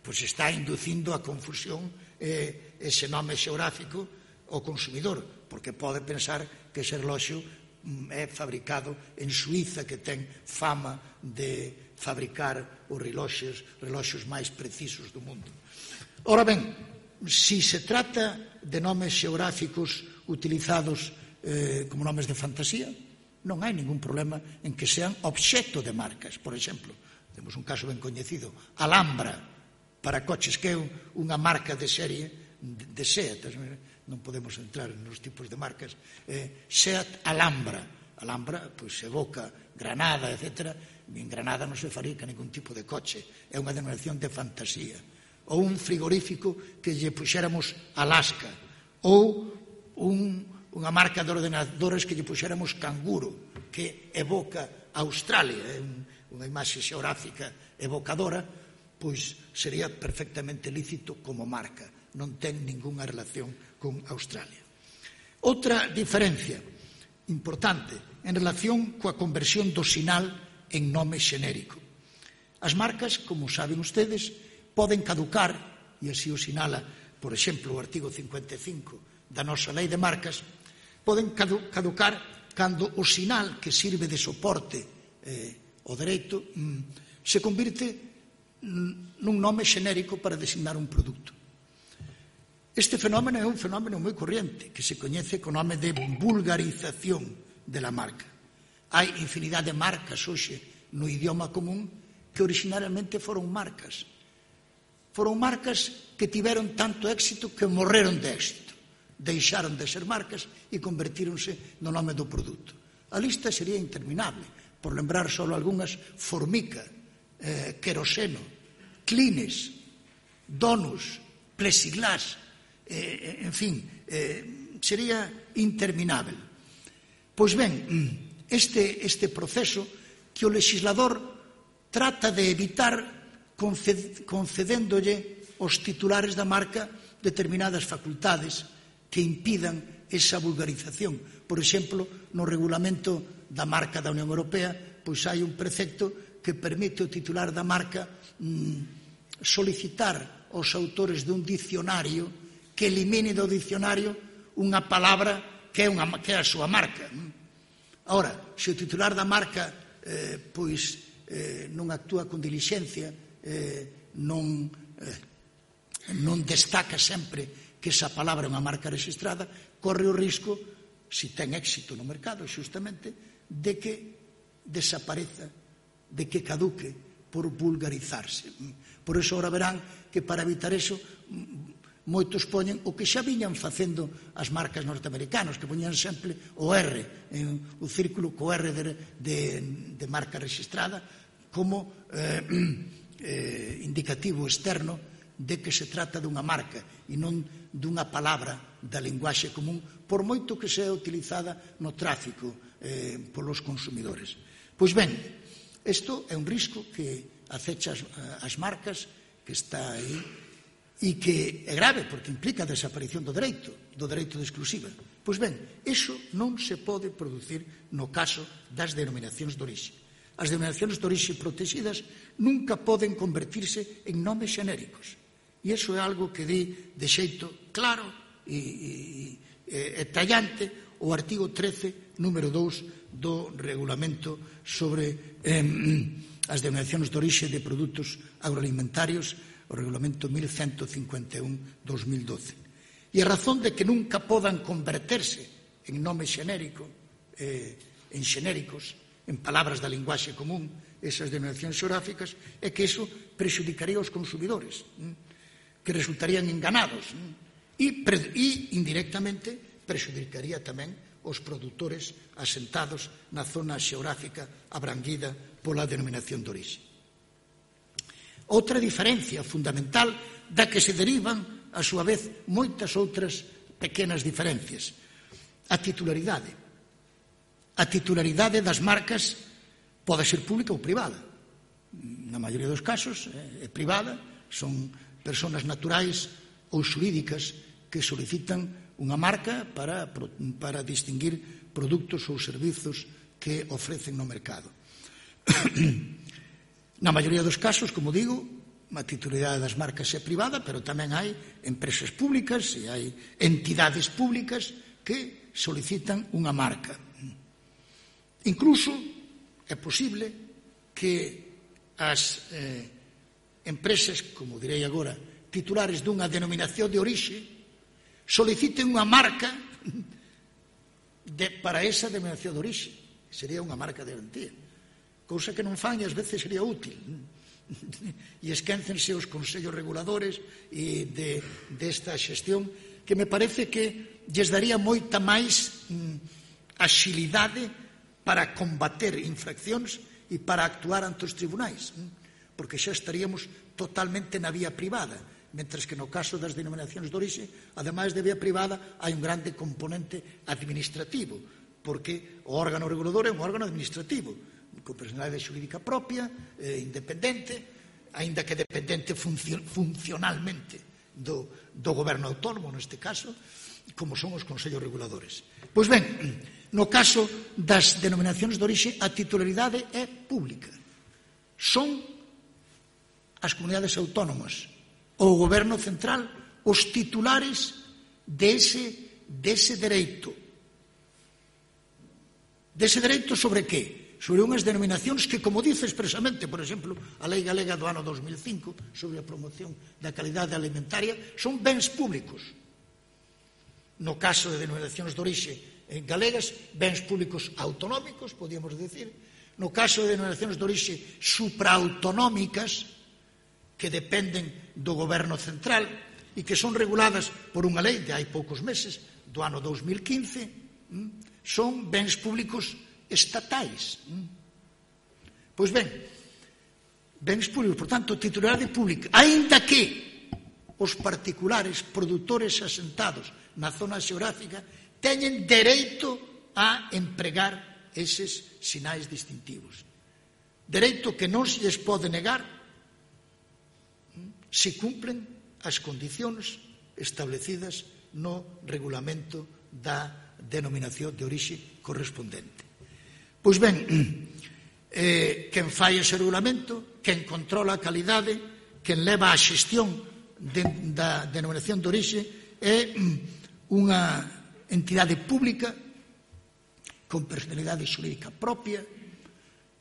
pois está inducindo a confusión eh, ese nome xeográfico ao consumidor, porque pode pensar que ese reloxo é fabricado en Suíza, que ten fama de fabricar os reloxos, reloxos máis precisos do mundo. Ora ben, si se trata de nomes xeográficos utilizados eh, como nomes de fantasía, non hai ningún problema en que sean obxecto de marcas. Por exemplo, temos un caso ben coñecido, Alhambra, para coches, que é unha marca de serie de, de Seat. Non podemos entrar nos tipos de marcas. Eh, Seat Alhambra. Alhambra, pois, evoca Granada, etcétera. En Granada non se fabrica ningún tipo de coche. É unha denominación de fantasía. Ou un frigorífico que lle puxéramos Alaska, ou un, unha marca de ordenadores que lle puxéramos Canguro, que evoca Australia, é un, unha imaxe xeográfica evocadora, pois sería perfectamente lícito como marca, non ten ningunha relación con Australia. Outra diferencia importante en relación coa conversión do sinal en nome xenérico. As marcas, como saben ustedes, poden caducar, e así o sinala, por exemplo, o artigo cincuenta e cinco da nosa lei de marcas, poden caducar cando o sinal que sirve de soporte eh, ao dereito mm, se convirte mm, nun nome xenérico para designar un produto. Este fenómeno é un fenómeno moi corriente, que se coñece co nome de vulgarización de la marca. Hai infinidade de marcas hoxe no idioma común que originariamente foron marcas. Foron marcas que tiveron tanto éxito que morreron de éxito. Deixaron de ser marcas e convertíronse no nome do produto. A lista sería interminable, por lembrar só algunhas: Formica, eh, Queroseno, Kleenex, Donus, Plexiglas, eh, en fin, eh, sería interminable. Pois ben, este, este proceso que o legislador trata de evitar concedéndolle aos titulares da marca determinadas facultades que impidan esa vulgarización. Por exemplo, no regulamento da marca da Unión Europea, pois hai un precepto que permite ao titular da marca mmm, solicitar aos autores dun dicionario que elimine do dicionario unha palabra que é, unha, que é a súa marca. Ora, se o titular da marca eh, pois eh, non actúa con dilixencia, eh, non, eh, non destaca sempre que esa palabra é unha marca registrada, corre o risco, se ten éxito no mercado, xustamente, de que desapareza, de que caduque por vulgarizarse. Por iso, ahora verán que para evitar eso, moitos poñen o que xa viñan facendo as marcas norteamericanas, que poñían sempre o R, en o círculo co R de, de, de marca registrada, como eh, eh, indicativo externo de que se trata dunha marca e non dunha palabra da linguaxe común, por moito que sea utilizada no tráfico eh, polos consumidores. Pois ben, isto é un risco que acecha as, as marcas, que está aí, e que é grave porque implica a desaparición do dereito, do dereito de exclusiva. Pois ben, iso non se pode producir no caso das denominacións de orixe. As denominacións de orixe protegidas nunca poden convertirse en nomes xenéricos. E iso é algo que di de xeito claro e, e, e tallante o artigo trece, número dous do regulamento sobre eh, as denominacións de orixe de produtos agroalimentarios, o regulamento mil ciento cincuenta e un barra dos mil doce. E a razón de que nunca podan converterse en nome xenérico, eh, en xenéricos, en palabras da linguaxe común, esas denominacións xeográficas, é que iso prexudicaría aos consumidores, que resultarían enganados, e, e indirectamente prexudicaría tamén os produtores asentados na zona xeográfica abranguida pola denominación de orixe. Outra diferencia fundamental da que se derivan, a súa vez, moitas outras pequenas diferencias. A titularidade. A titularidade das marcas pode ser pública ou privada. Na maioría dos casos é privada, son persoas naturais ou xurídicas que solicitan unha marca para, para distinguir produtos ou servizos que ofrecen no mercado. Na maioría dos casos, como digo, a titularidade das marcas é privada, pero tamén hai empresas públicas e hai entidades públicas que solicitan unha marca. Incluso é posible que as eh, empresas, como direi agora, titulares dunha denominación de orixe, soliciten unha marca de, para esa denominación de orixe. Sería unha marca de garantía. Cousa que non fan e ás veces sería útil. E esquéncense os consellos reguladores e de, desta xestión, que me parece que lles daría moita máis mm, axilidade para combater infraccións e para actuar ante os tribunais, mm, porque xa estaríamos totalmente na vía privada, mentres que no caso das denominacións de orixe, ademais de vía privada, hai un grande componente administrativo, porque o órgano regulador é un órgano administrativo, con personalidade xurídica propia, eh, independente, aínda que dependente funcio, funcionalmente do, do goberno autónomo, neste caso, como son os consellos reguladores. Pois ben, no caso das denominacións de orixe, a titularidade é pública. Son as comunidades autónomas ou o goberno central os titulares dese, dese dereito. Dese dereito sobre que? Sobre unhas denominacións que, como dice expresamente, por exemplo, a Lei Galega do ano dos mil cinco sobre a promoción da calidade alimentaria, son bens públicos. No caso de denominacións de orixe galegas, bens públicos autonómicos, podíamos decir. No caso de denominacións de orixe supraautonómicas, que dependen do goberno central e que son reguladas por unha lei de hai poucos meses, do ano dos mil quince, son bens públicos estatais. Pois ben, bens públicos, por tanto, titularidade pública, aínda que os particulares produtores asentados na zona xeográfica teñen dereito a empregar eses sinais distintivos. Dereito que non se lles pode negar se cumplen as condicións establecidas no regulamento da denominación de orixe correspondente. Pois ben, eh, quen fai ese regulamento, quen controla a calidade, quen leva a xestión de, da denominación de orixe é unha entidade pública con personalidade xurídica propia,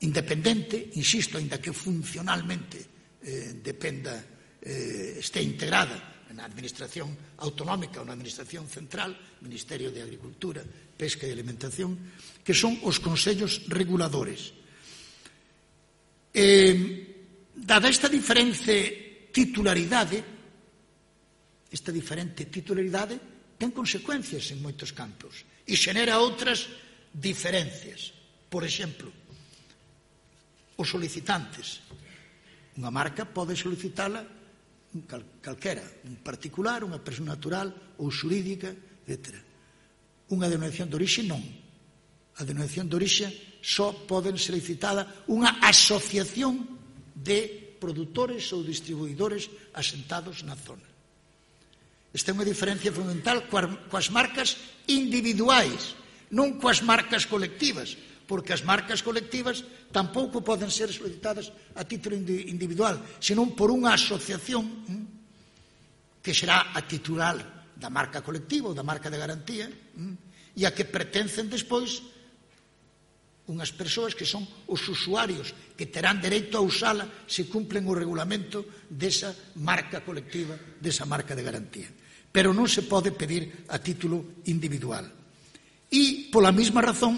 independente, insisto, ainda que funcionalmente eh, dependa, eh, este integrada na administración autonómica ou na administración central, Ministerio de Agricultura, Pesca e Alimentación, que son os consellos reguladores. Eh, dada esta diferente titularidade, esta diferente titularidade ten consecuencias en moitos campos e xenera outras diferencias. Por exemplo, os solicitantes. Unha marca pode solicitala cal, calquera, un particular, unha persoa natural ou xurídica, etcétera. Unha denominación de orixe non. A denominación de orixe só poden solicitada unha asociación de produtores ou distribuidores asentados na zona. Esta é unha diferencia fundamental coas marcas individuais, non coas marcas colectivas, porque as marcas colectivas tampouco poden ser solicitadas a título individual, senón por unha asociación que será a titular da marca colectiva ou da marca de garantía e a que pertencen despois unhas persoas que son os usuarios que terán dereito a usala se cumplen o regulamento desa marca colectiva, desa marca de garantía. Pero non se pode pedir a título individual. E, pola mesma razón,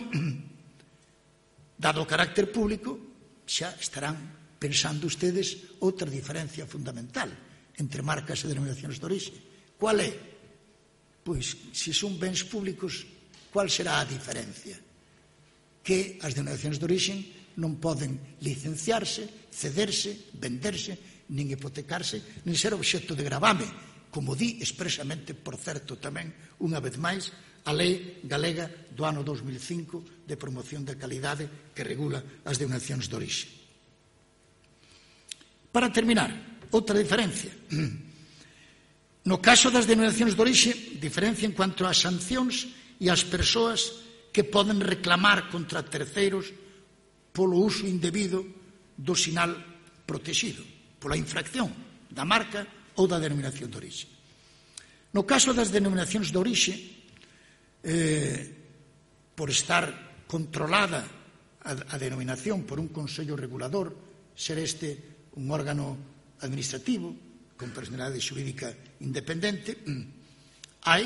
dado o carácter público, xa estarán pensando ustedes outra diferencia fundamental entre marcas e denominacións de orixe. Qual é? Pois, se son bens públicos, qual será a diferencia? Que as denominacións de orixe non poden licenciarse, cederse, venderse, nin hipotecarse, nin ser obxecto de gravame, como di expresamente, por certo, tamén, unha vez máis, a Lei Galega do ano dos mil cinco de promoción da calidade que regula as denominacións de orixe. Para terminar, outra diferencia. No caso das denominacións de orixe, diferencia en cuanto ás sancións e ás persoas que poden reclamar contra terceiros polo uso indebido do sinal protegido, pola infracción da marca ou da denominación de orixe. No caso das denominacións de orixe, eh, por estar controlada a, a denominación por un consello regulador, ser este un órgano administrativo con personalidade xurídica independente, hai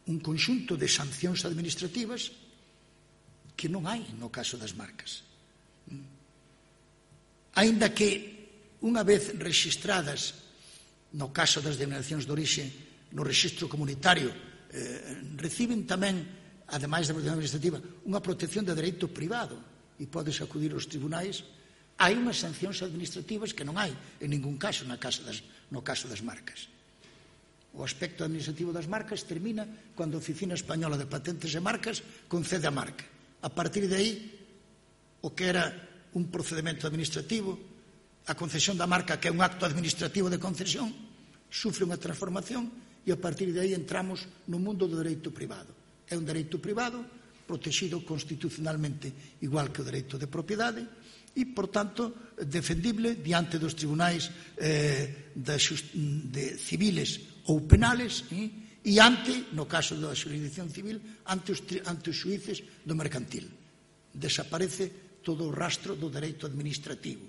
un conxunto de sancións administrativas que non hai no caso das marcas. Aínda que unha vez rexistradas no caso das denominacións de orixe no rexistro comunitario eh, reciben tamén, ademais da protección administrativa, unha protección de dereito privado e podes acudir aos tribunais, hai unhas sancións administrativas que non hai en ningún caso na caso das, no caso das marcas. O aspecto administrativo das marcas termina cando a Oficina Española de Patentes e Marcas concede a marca. A partir de aí, o que era un procedimento administrativo, a concesión da marca, que é un acto administrativo de concesión, sufre unha transformación e a partir de aí entramos no mundo do dereito privado. É un dereito privado protegido constitucionalmente igual que o dereito de propiedade e, por tanto, defendible diante dos tribunais eh, de, de civiles ou penales eh, e ante, no caso da xurisdicción civil, ante os, ante os xuíces do mercantil. Desaparece todo o rastro do dereito administrativo.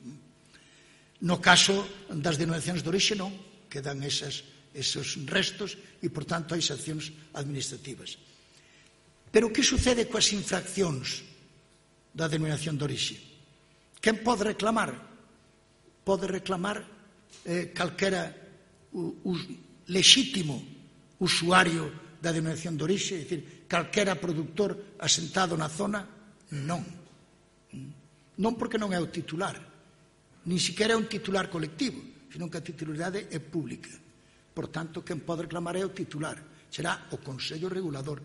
No caso das denominacións de orixe non, quedan esas, esos restos e, por tanto, hai sancións administrativas. Pero que sucede coas infraccións da denominación de orixe? Quen pode reclamar? Pode reclamar eh, calquera u, u, lexítimo usuario da denominación de orixe, é dicir, calquera produtor asentado na zona? Non. Non porque non é o titular, nin sequera é un titular colectivo, senón que a titularidade é pública. Por tanto, quen pode reclamar é o titular, será o Consello Regulador,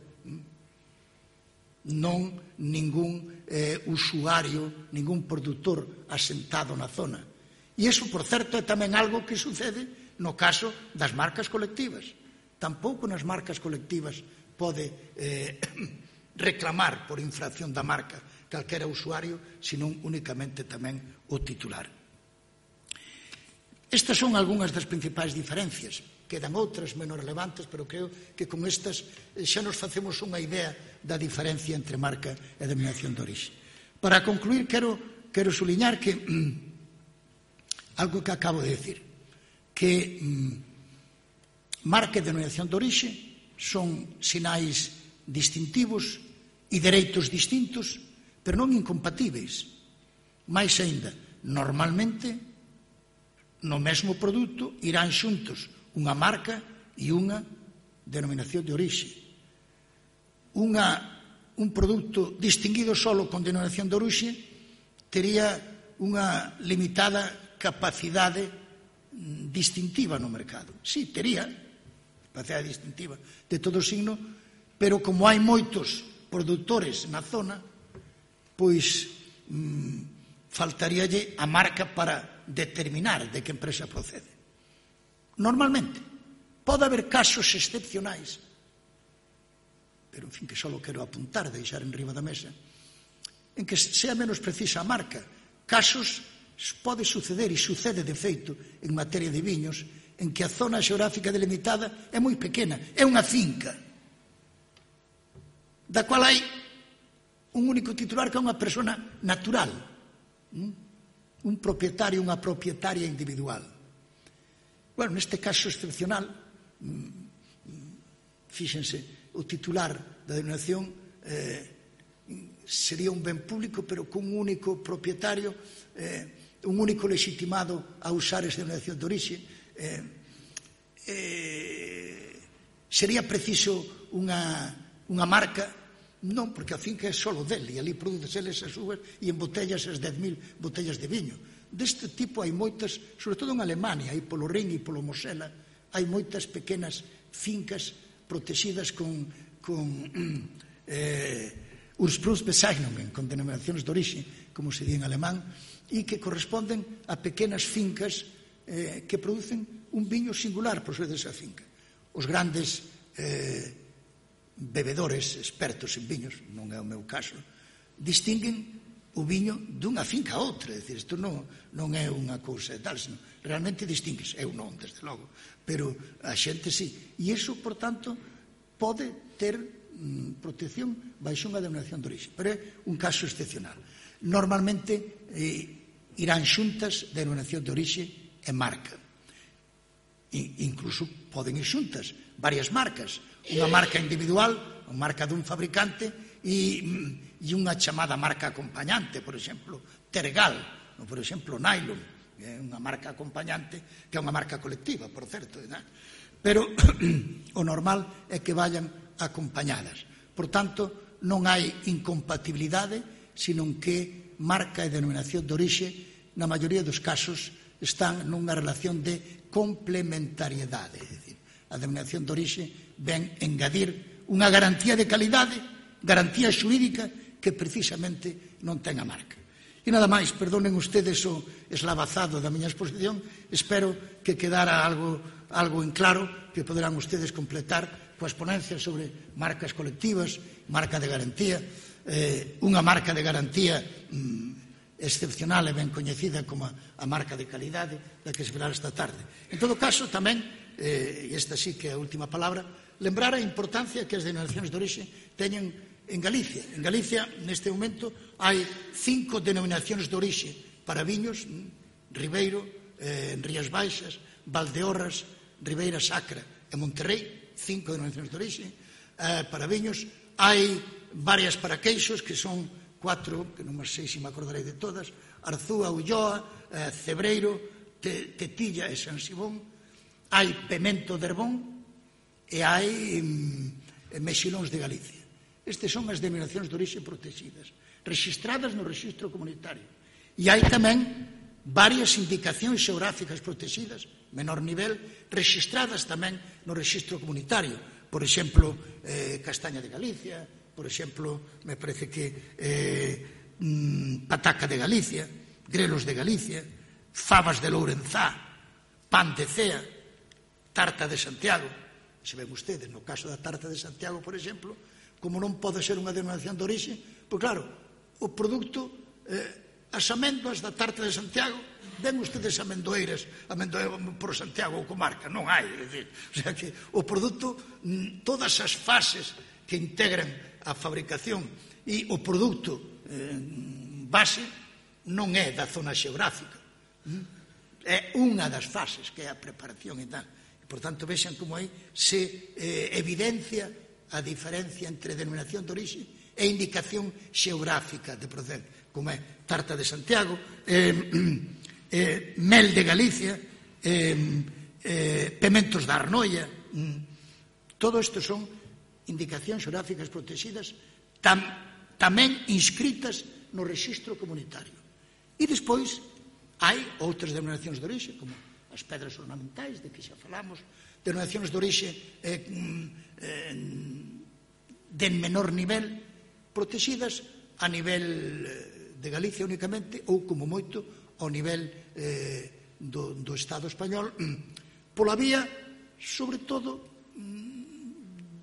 non ningún eh, usuario, ningún produtor asentado na zona. E iso, por certo, é tamén algo que sucede no caso das marcas colectivas. Tampouco nas marcas colectivas pode eh, reclamar por infracción da marca calquera usuario, senón únicamente tamén o titular. Estas son algunhas das principais diferencias. Quedan outras menos relevantes, pero creo que con estas xa nos facemos unha idea da diferencia entre marca e denominación de orixe. Para concluir, quero, quero suliñar que mm, algo que acabo de decir, que mm, marca e denominación de orixe son sinais distintivos e dereitos distintos, pero non incompatíveis. Mais aínda, normalmente, no mesmo produto irán xuntos unha marca e unha denominación de orixe. Unha, un produto distinguido solo con denominación de orixe tería unha limitada capacidade distintiva no mercado. Sí, tería capacidade distintiva de todo signo, pero como hai moitos produtores na zona, pois mmm, faltaríalle a marca para determinar de que empresa procede. Normalmente, pode haber casos excepcionais, pero, en fin, que só quero apuntar, deixar en riba da mesa, en que sea menos precisa a marca. Casos pode suceder, e sucede de feito en materia de viños, en que a zona xeográfica delimitada é moi pequena, é unha finca, da cual hai un único titular que é unha persona natural, un propietario, unha propietaria individual. Bueno, neste caso excepcional, fíxense, o titular da denominación eh, sería un ben público, pero cun único propietario, eh, un único legitimado a usar esa denominación de orixe. Eh, eh, sería preciso unha, unha marca? Non, porque a finca é solo dele, e ali produces eles as uvas e embotellas as dez mil botellas de viño. Deste tipo hai moitas, sobre todo en Alemania, hai polo Rin e polo Mosela, hai moitas pequenas fincas protegidas con, con eh, Ursprungsbezeichnungen, con denominacións de orixe, como se di en alemán, e que corresponden a pequenas fincas eh, que producen un viño singular por ser desa finca. Os grandes eh, bebedores expertos en viños, non é o meu caso, distinguen o viño dunha finca a outra, é dicir, isto non, non é unha cousa e tal, senón realmente distingues, eu non, desde logo, pero a xente sí, e iso, por tanto, pode ter mm, protección baixo unha denominación de orixe, pero é un caso excepcional. Normalmente eh, irán xuntas denominación de orixe e marca, e, incluso poden ir xuntas varias marcas, unha marca individual, unha marca dun fabricante e e unha chamada marca acompañante, por exemplo, Tergal, ou por exemplo, Nylon, que é unha marca acompañante, que é unha marca colectiva, por certo, ¿no? Pero o normal é que vayan acompañadas. Por tanto, non hai incompatibilidade, senón que marca e denominación de orixe, na maioría dos casos, están nunha relación de complementariedade. É dicir, a denominación de orixe ven engadir unha garantía de calidade, garantía xurídica, que precisamente non ten a marca. E nada máis, perdonen ustedes o eslavazado da miña exposición, espero que quedara algo, algo en claro, que poderán ustedes completar coas ponencias sobre marcas colectivas, marca de garantía, eh, unha marca de garantía mm, excepcional e ben coñecida como a, a marca de calidade da que se falará esta tarde. En todo caso, tamén, eh, e esta sí que é a última palabra, lembrar a importancia que as denominacións de orixe teñen en Galicia. En Galicia, neste momento, hai cinco denominacións de orixe para viños, Ribeiro, eh, Rías Baixas, Valdeorras, Ribeira Sacra e Monterrey, cinco denominacións de orixe. Eh, para viños hai varias para queixos, que son cuatro, que non sei se me acordarei de todas, Arzúa, Ulloa, eh, Cebreiro, Te, Tetilla e San Simón. Hai Pemento de Herbón e hai mm, Mexilóns de Galicia. Estas son as denominacións de orixe protegidas, rexistradas no rexistro comunitario. E hai tamén varias indicacións xeográficas protegidas, menor nivel, rexistradas tamén no rexistro comunitario. Por exemplo, eh, Castaña de Galicia, por exemplo, me parece que eh, mm, Pataca de Galicia, Grelos de Galicia, Fabas de Lourenzá, Pan de Cea, Tarta de Santiago, se ven ustedes, no caso da tarta de Santiago, por exemplo, como non pode ser unha denominación de orixe, pois claro, o produto, eh, as amendoas da tarta de Santiago, ven ustedes amendoeiras, amendoeiras por Santiago ou comarca, non hai, é dicir, o sea que o produto, todas as fases que integran a fabricación e o produto eh, base non é da zona xeográfica, é unha das fases que é a preparación e tal. Por tanto, vexan como aí se eh, evidencia a diferencia entre denominación de orixe e indicación xeográfica de procedente, como é tarta de Santiago, eh, eh, mel de Galicia, eh, eh, pementos da Arnoia, mm, todo isto son indicacións xeográficas protegidas tam, tamén inscritas no rexistro comunitario. E despois hai outras denominacións de orixe, como as pedras ornamentais, de que xa falamos, denominacións de orixe eh, eh, de menor nivel, protegidas a nivel de Galicia únicamente ou como moito ao nivel eh, do, do Estado español, pola vía, sobre todo,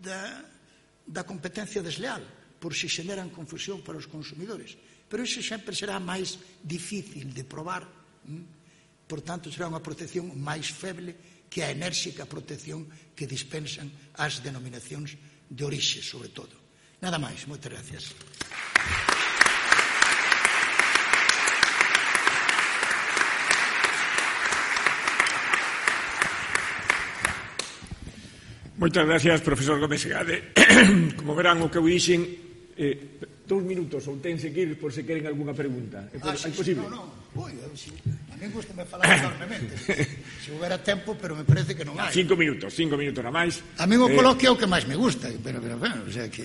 da, da competencia desleal, por si xeneran confusión para os consumidores. Pero iso sempre será máis difícil de probar, por tanto, será unha protección máis feble que a enérxica protección que dispensan as denominacións de orixe, sobre todo. Nada máis, moitas gracias. Moitas gracias, profesor Gómez Segade. Como verán, o que eu dixen, eh, dous minutos, ou tense que ir por se queren algunha pregunta. É ah, sí, posible? No, no. Ui, a mí gusta me falar enormemente. Se houbera tempo, pero me parece que non hai. Cinco minutos, cinco minutos a máis. A mí o coloquio é o que máis me gusta, pero, pero, bueno, o sea que...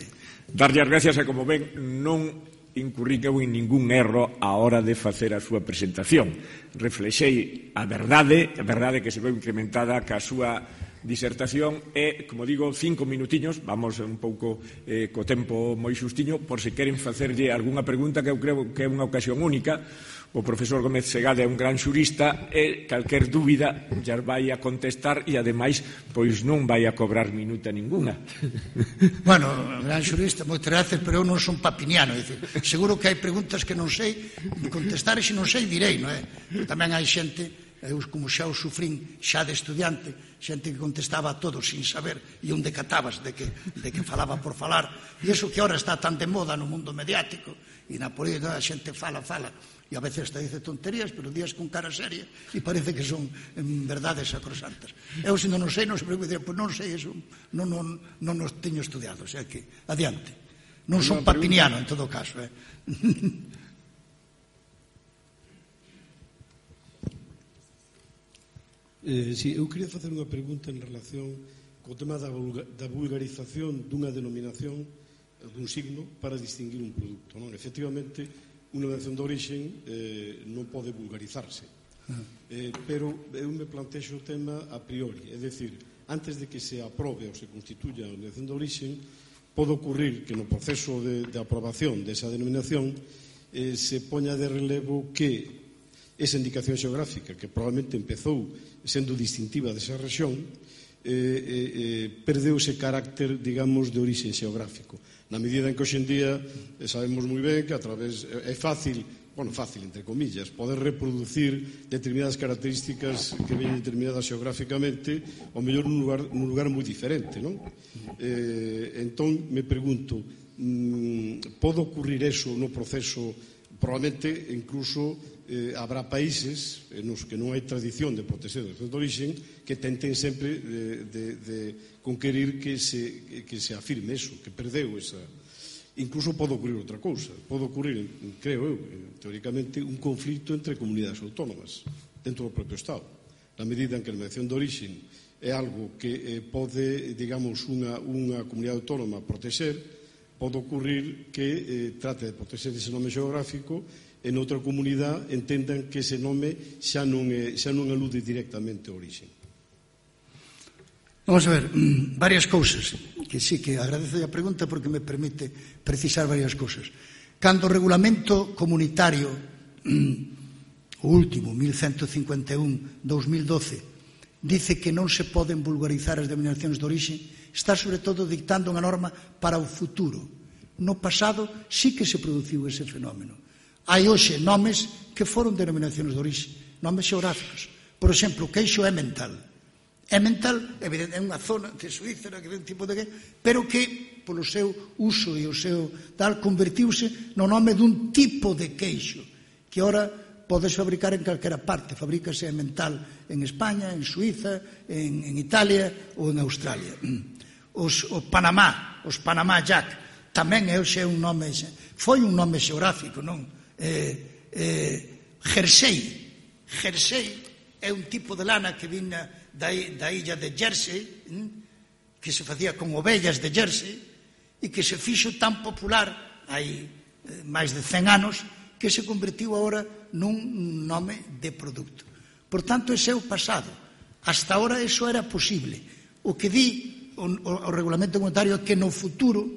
Darlle as gracias, e como ven, non incurrí eu en ningún erro a hora de facer a súa presentación. Reflexei a verdade, a verdade que se veu incrementada ca súa disertación e, como digo, cinco minutiños, vamos un pouco eh, co tempo moi xustiño, por se queren facerlle algunha pregunta, que eu creo que é unha ocasión única. O profesor Gómez Segade é un gran xurista e calquer dúbida já vai a contestar e, ademais, pois non vai a cobrar minuta ninguna. Bueno, gran xurista, moitas gracias, pero eu non son papiniano, é dicir, seguro que hai preguntas que non sei contestar e se non sei direi, non é? Tamén hai xente, eu como xa o sufrín xa de estudiante, xente que contestaba a todos sin saber e un decatabas de que, de que falaba por falar, e iso que ahora está tan de moda no mundo mediático e na política a xente fala, fala e a veces hasta dice tonterías, pero días con cara seria e parece que son en verdades sacrosantas. Eu, se non sei, non se preocupe, pois non sei, eso non, non, non os teño estudiado, o sea que, adiante. Non son papiniano, en todo caso, eh? Eh, sí, eu queria facer unha pregunta en relación co tema da, da vulgarización dunha denominación, dun signo, para distinguir un produto, non? Efectivamente, unha denominación de orixe eh, non pode vulgarizarse. Eh, pero eu me plantexo o tema a priori, é dicir, antes de que se aprobe ou se constituya a denominación de orixe, pode ocurrir que no proceso de, de aprobación desa denominación eh, se poña de relevo que esa indicación xeográfica, que probablemente empezou sendo distintiva desa rexión, eh, eh, perdeu ese carácter, digamos, de orixe xeográfico. Na medida en que hoxendía sabemos moi ben que a través é fácil, bueno, fácil entre comillas, poder reproducir determinadas características que veñen determinadas xeográficamente, ao mellor nun lugar, nun lugar moi diferente, non? Eh, entón, me pregunto, mmm, pode ocurrir eso no proceso? Probablemente, incluso, eh, habrá países nos que non hai tradición de protexer de orixe que tenten sempre de, de, de conquerir que se, que se afirme eso, que perdeu esa... Incluso pode ocurrir outra cousa, pode ocurrir, creo eu, teóricamente, un conflito entre comunidades autónomas dentro do propio Estado, na medida en que a denominación de orixe é algo que eh, pode, digamos, unha, unha comunidade autónoma protexer, pode ocurrir que eh, trate de protexer ese nome xeográfico e noutra comunidade entendan que ese nome xa non, é, xa non alude directamente ao orixe. Vamos a ver, varias cousas, que sí que agradezo a pregunta porque me permite precisar varias cousas. Cando o regulamento comunitario, o último, mil ciento cincuenta e un, dos mil doce, dice que non se poden vulgarizar as denominacións de orixe, está sobre todo dictando unha norma para o futuro. No pasado sí que se produciu ese fenómeno. Hai hoxe nomes que foron denominacións de orixe, nomes xeográficos. Por exemplo, o queixo Emmental. Emmental, evidente, é unha zona de Suíza, que é un tipo de que, pero que, polo seu uso e o seu tal, convertiuse no nome dun tipo de queixo, que ora podes fabricar en calquera parte. Fabrícase Emmental en España, en Suíza, en, en Italia ou en Australia. Os, o Panamá, os Panamá Jack, tamén é hoxe un nome, foi un nome xeográfico, non? Eh, eh, Jersey, Jersey é un tipo de lana que vinha da, da illa de Jersey, hm? que se facía con ovellas de Jersey, e que se fixo tan popular hai eh, máis de cen anos que se convertiu agora nun nome de produto. Por tanto, ese é o pasado. Hasta ahora eso era posible. O que di o, o, o regulamento comunitario é que no futuro,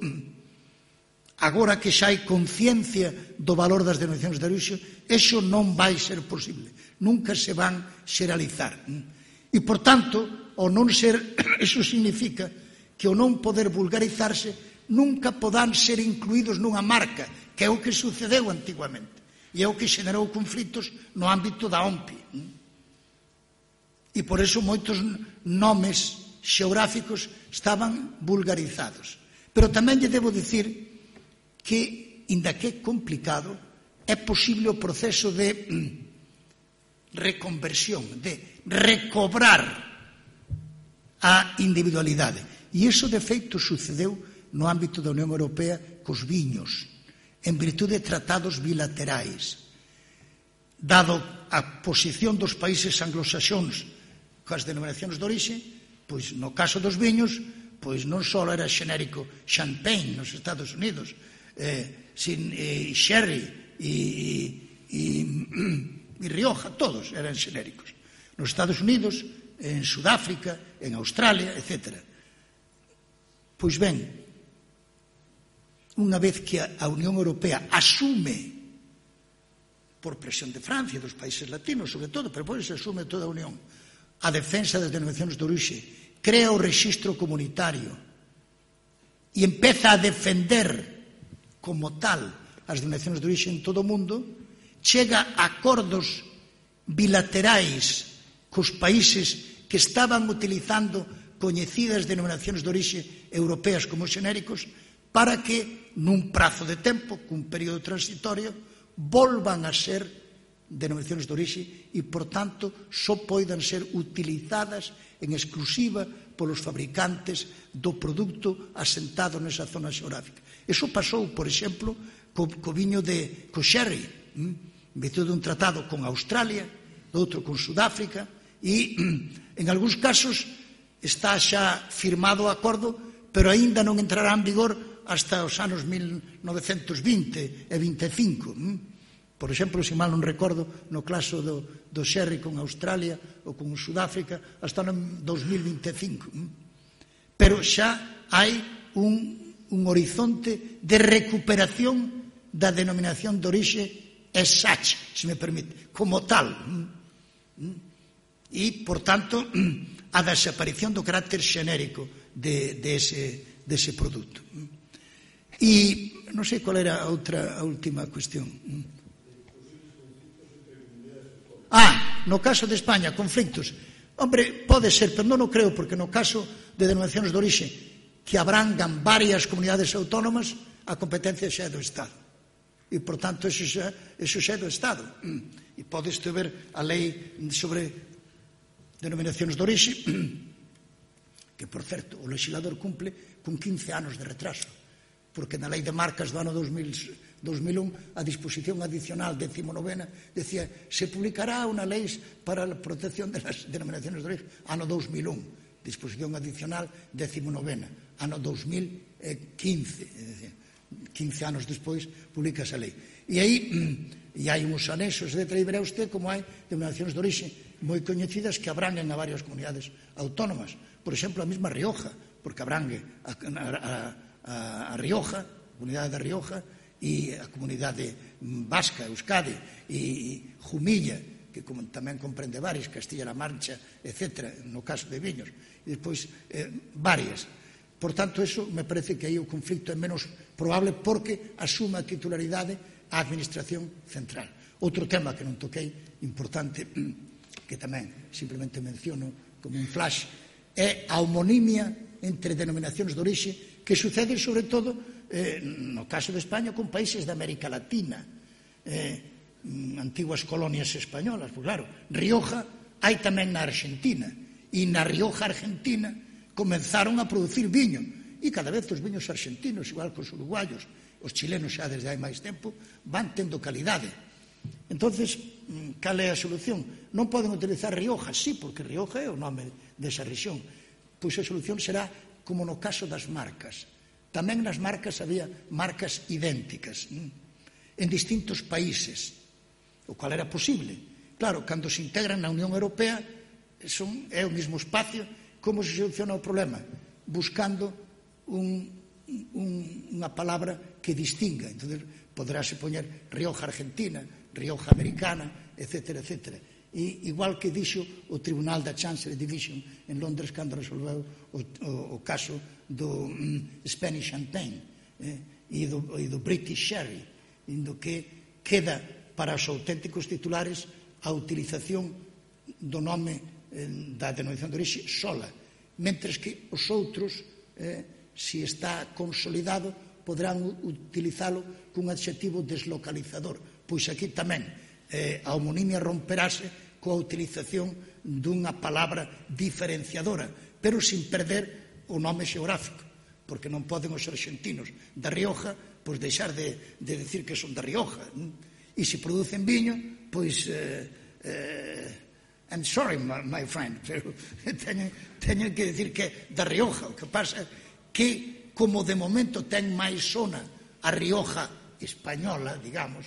agora que xa hai conciencia do valor das denominacións de orixe, eso non vai ser posible. Nunca se van xeralizar. E, por tanto, o non ser, eso significa que o non poder vulgarizarse nunca podan ser incluídos nunha marca, que é o que sucedeu antigamente. E é o que xenerou conflitos no ámbito da O M P I. E por eso moitos nomes xeográficos estaban vulgarizados. Pero tamén lle debo dicir que, inda que é complicado, é posible o proceso de reconversión, de recobrar a individualidade. E iso, de feito, sucedeu no ámbito da Unión Europea cos viños, en virtude de tratados bilaterais. Dado a posición dos países anglosaxóns coas denominacións de orixe, pois no caso dos viños, pois non só era xenérico Champagne nos Estados Unidos, eh, sin, eh, Sherry e, e, e Rioja, todos eran xenéricos. Nos Estados Unidos, en Sudáfrica, en Australia, etcétera. Pois ben, unha vez que a Unión Europea asume, por presión de Francia e dos países latinos, sobre todo, pero pois se asume toda a Unión, a defensa das denominacións de orixe, crea o rexistro comunitario e empeza a defender como tal as denominacións de orixe en todo o mundo, chega a acordos bilaterais cos países que estaban utilizando coñecidas denominacións de orixe europeas como xenéricos, para que, nun prazo de tempo, cun período transitorio, volvan a ser denominacións de orixe e, por tanto, só poidan ser utilizadas en exclusiva polos fabricantes do produto asentado nesa zona xeográfica. Eso pasou, por exemplo, co, co viño de co sherry, en virtude dun tratado con Australia, outro con Sudáfrica, e, en algúns casos, está xa firmado o acordo, pero aínda non entrará en vigor hasta os anos mil novecentos vinte e vinte e cinco. Por exemplo, se mal non recordo, no caso do, do sherry con Australia ou con Sudáfrica, hasta o dos mil vinte e cinco. Pero xa hai un, un horizonte de recuperación da denominación de orixe as such, se me permite, como tal. E, por tanto, a desaparición do carácter xenérico de, de, ese, de ese produto. E non sei qual era a outra, a última cuestión. Ah, no caso de España, conflictos. Hombre, pode ser, pero non o creo, porque no caso de denominacións de orixe que abrangan varias comunidades autónomas, a competencia xa é do Estado. E, por tanto, eso xa, eso xa é do Estado. E podes ver a lei sobre denominacións de orixe, que, por certo, o legislador cumple con quince anos de retraso, porque na lei de marcas do ano dos mil un a disposición adicional decimonovena decía se publicará unha lei para a protección das denominacións de orixe ano dos mil un, disposición adicional decimonovena, ano dos mil quince, quince anos despois publica esa lei. E aí e hai uns anexos, etcétera, e verá usted como hai denominacións de orixe moi coñecidas que abranguen a varias comunidades autónomas. Por exemplo, a mesma Rioja, porque abrangue a, a, a, a Rioja, a comunidade da Rioja, e a comunidade vasca, Euskadi, e Jumilla, que tamén comprende varias, Castilla-La Mancha, etcétera, no caso de viños, e despois varias. Por tanto, eso me parece que aí o conflicto é menos probable porque asume a titularidade a Administración Central. Outro tema que non toquei, importante, que tamén simplemente menciono como un flash, é a homonimia entre denominacións de orixe que sucede sobre todo eh, no caso de España con países de América Latina, eh, antiguas colonias españolas. Pues claro, Rioja hai tamén na Argentina, e na Rioja Argentina comenzaron a producir viño, e cada vez os viños argentinos, igual que os uruguayos, os chilenos xa desde hai máis tempo, van tendo calidade. Entonces, cal é a solución? Non poden utilizar Rioja, sí, porque Rioja é o nome desa rexión. Pois a solución será como no caso das marcas. Tamén nas marcas había marcas idénticas en distintos países, o cual era posible. Claro, cando se integran na Unión Europea son, é o mesmo espacio. Como se soluciona o problema? Buscando un, un, unha palabra que distinga. Entón, poderase poñer Rioja Argentina, Rioja Americana, etcétera, etcétera. E igual que dixo o Tribunal da Chancery Division en Londres cando resolveu o, o, o caso do um, Spanish Champagne eh, e, do, e do British Sherry, indo que queda para os auténticos titulares a utilización do nome eh, da denominación de orixe sola, mentres que os outros, eh, se está consolidado, poderán utilizalo cun adxetivo deslocalizador. Pois aquí tamén eh, a homonimia romperase coa utilización dunha palabra diferenciadora, pero sin perder o nome xeográfico, porque non poden os argentinos da Rioja pois deixar de, de decir que son da Rioja, e se producen viño, pois eh, eh, I'm sorry, my, my friend, pero teñen, teñen que decir que é da Rioja. O que pasa é que, como de momento ten máis sona a Rioja española, digamos,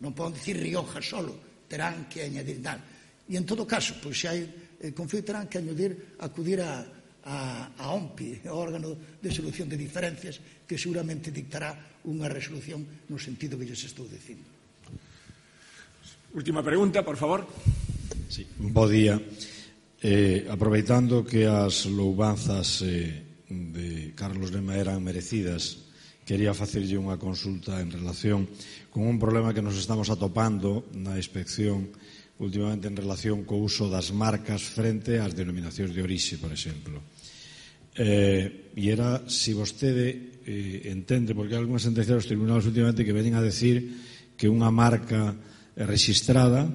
non poden dicir Rioja solo, terán que añadir tal. E en todo caso, pois se hai eh, conflito, terán que añadir, acudir a, a, a O M P I, o órgano de solución de diferencias, que seguramente dictará unha resolución no sentido que lles estou dicindo. Última pregunta, por favor. Sí, bo día. Eh, aproveitando que as louvanzas eh, de Carlos Lema eran merecidas, quería facerlle unha consulta en relación con un problema que nos estamos atopando na inspección últimamente en relación co uso das marcas frente ás denominacións de orixe, por exemplo. Eh, e era se vostede eh, entende, porque hai algunhas sentencias dos tribunales últimamente que veñen a decir que unha marca rexistrada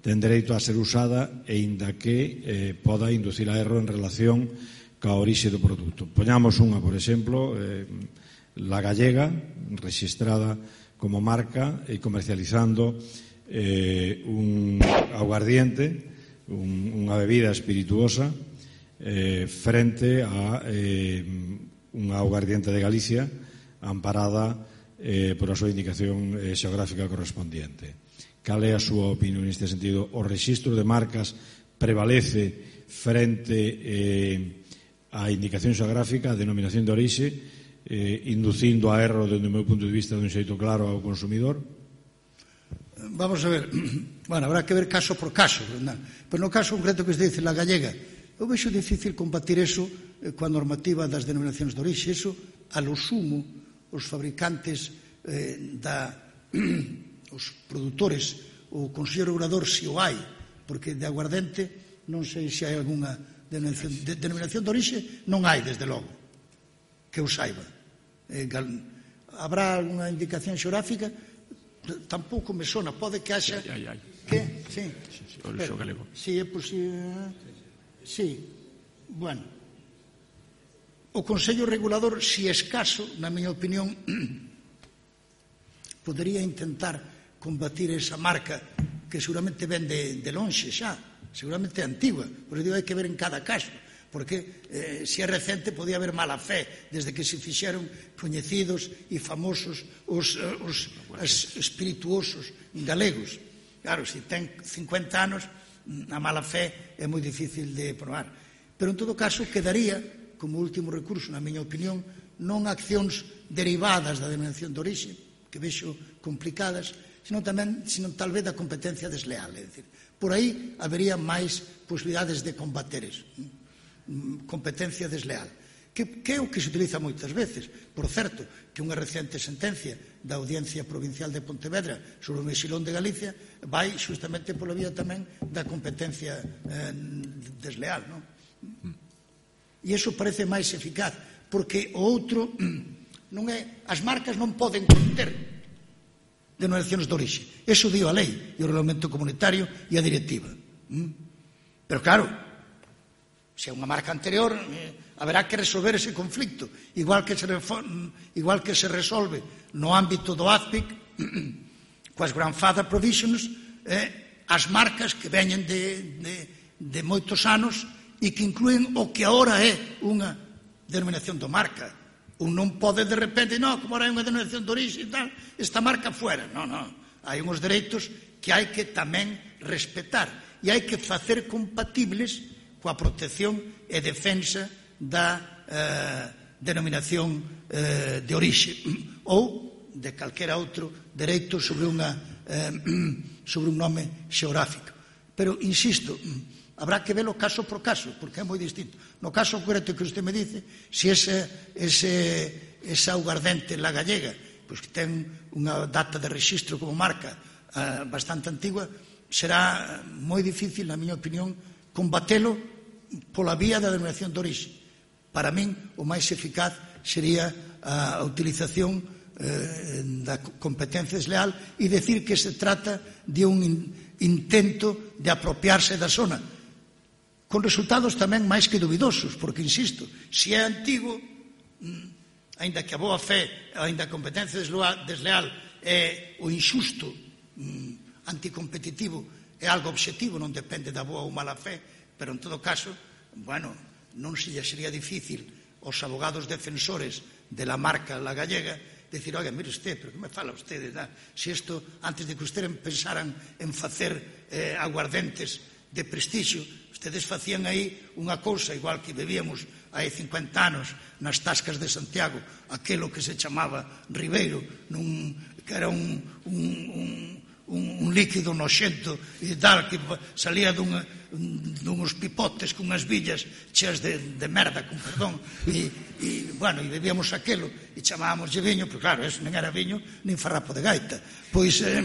ten dereito a ser usada e inda que eh, poda inducir a erro en relación ca orixe do produto. Poñamos unha, por exemplo, eh, La Gallega, rexistrada como marca e comercializando eh, un aguardiente, un, unha bebida espirituosa eh, frente a eh, unha aguardiente de Galicia amparada eh, por a súa indicación eh, xeográfica correspondiente. Cal é a súa opinión neste sentido? O rexistro de marcas prevalece frente eh, á indicación xeográfica, a denominación de orixe, eh, inducindo a erro dende o meu punto de vista dun xeito claro ao consumidor? Vamos a ver, bueno, habrá que ver caso por caso, ¿verdad? Pero no caso concreto que se dice La Gallega, eu vexo difícil combatir eso eh, coa normativa das denominacións de orixe. Eso, a lo sumo, os fabricantes eh, da, os produtores, o Consello Regulador, se o hai, porque de aguardente non sei se hai algunha denominación de, denominación de orixe, non hai, desde logo, que eu saiba. Eh, gal, habrá algunha indicación xeográfica? Tampouco me sona, pode que haxa... Ai, ai, ai. Que? Sí. Sí, sí, o lixo galego. Sí, é posible... Sí, bueno. O Consello Regulador, si escaso, na miña opinión, podería intentar combatir esa marca que seguramente ven de, de lonxe xa, seguramente é antigua, por isso hai que ver en cada caso, porque eh, se é recente podía haber mala fe desde que se fixeron coñecidos e famosos os, os, os espirituosos galegos. Claro, se ten cincuenta anos, a mala fe é moi difícil de probar. Pero en todo caso quedaría como último recurso, na miña opinión, non accións derivadas da denominación de orixe, que vexo complicadas, sino tamén, sino tal vez da competencia desleal. É dicir, por aí habería máis posibilidades de combater eso. Competencia desleal. Que, que é o que se utiliza moitas veces. Por certo, que unha recente sentencia da Audiencia Provincial de Pontevedra sobre o Mexilón de Galicia vai justamente pola vía tamén da competencia eh, desleal, non? E iso parece máis eficaz, porque o outro non é, as marcas non poden conter denominacións de orixe. Eso dio a lei e o regulamento comunitario e a directiva. Pero claro, se é unha marca anterior, eh, haberá que resolver ese conflicto, igual que se, igual que se resolve no ámbito do A Z P I C coas grandfather provisions, eh, as marcas que veñen de, de, de moitos anos e que incluen o que agora é unha denominación de marca. Un non pode de repente, non, como ahora é unha denominación de orixe e tal, esta marca fuera. Non, non. Hai uns dereitos que hai que tamén respetar e hai que facer compatibles coa protección e defensa da eh, denominación eh, de orixe ou de calquera outro dereito sobre, unha, eh, sobre un nome xeográfico. Pero, insisto, habrá que verlo caso por caso, porque é moi distinto. No caso concreto que usted me dice, se ese, ese, esa aguardente La Gallega, pois que ten unha data de registro como marca eh, bastante antigua, será moi difícil, na miña opinión, combatelo pola vía da denominación de orixe. Para min, o máis eficaz sería a utilización eh, da competencia desleal e decir que se trata de un intento de apropiarse da zona, con resultados tamén máis que dubidosos, porque, insisto, se é antigo, aínda que a boa fe, aínda a competencia desleal é o injusto anticompetitivo, é algo objetivo, non depende da boa ou mala fe, pero en todo caso, bueno, non se lle sería difícil aos abogados defensores de la marca La Gallega decir, oiga, mire usted, pero que me fala usted? Se isto, antes de que ustedes pensaran en facer eh, aguardentes de prestixio, ustedes facían aí unha cousa, igual que bebíamos hai cincuenta anos nas tascas de Santiago, aquelo que se chamaba Ribeiro, nun, que era un, un, un, un, un líquido noxento e tal, que salía dunha dunhos pipotes con unhas villas cheas de, de merda, con perdón, e, e, bueno, e bebíamos aquelo e chamábamoslle viño, pero claro, eso non era viño nin farrapo de gaita. Pois eh,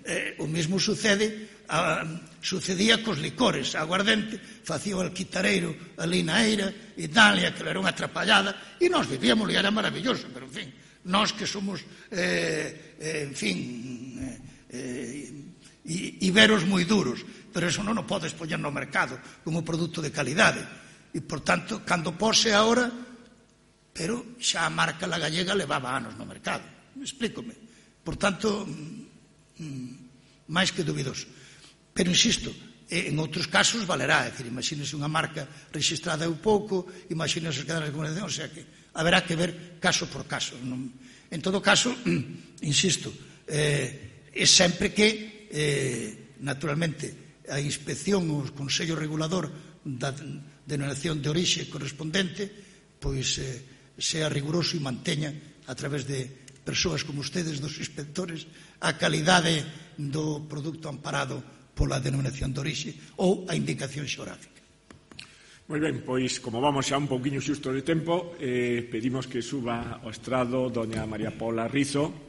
eh, o mesmo sucede, a, sucedía cos licores. A aguardente facía o alquitareiro ali na eira e tal, e aquilo era unha atrapallada, e nós bebíamos e era maravilloso, pero en fin, nós que somos eh, eh, en fin eh, eh, iberos moi duros, pero eso non o podes poñer no mercado como produto de calidade. E, por tanto, cando pose agora, pero xa a marca La Gallega levaba anos no mercado. Explícome. Por tanto, máis que dubidoso. Pero, insisto, en outros casos valerá. É dicir, imagínese unha marca registrada un pouco, imagínese que dan a comunicación, o sea que haberá que ver caso por caso. En todo caso, insisto, eh, é sempre que, eh, naturalmente, a inspección ou o Consello Regulador da denominación de orixe correspondente pois eh, sea riguroso e manteña a través de persoas como ustedes, dos inspectores, a calidade do produto amparado pola denominación de orixe ou a indicación xeográfica. Moi ben, pois como vamos xa un pouquiño xusto de tempo, eh, pedimos que suba ao estrado doña María Paula Rizo,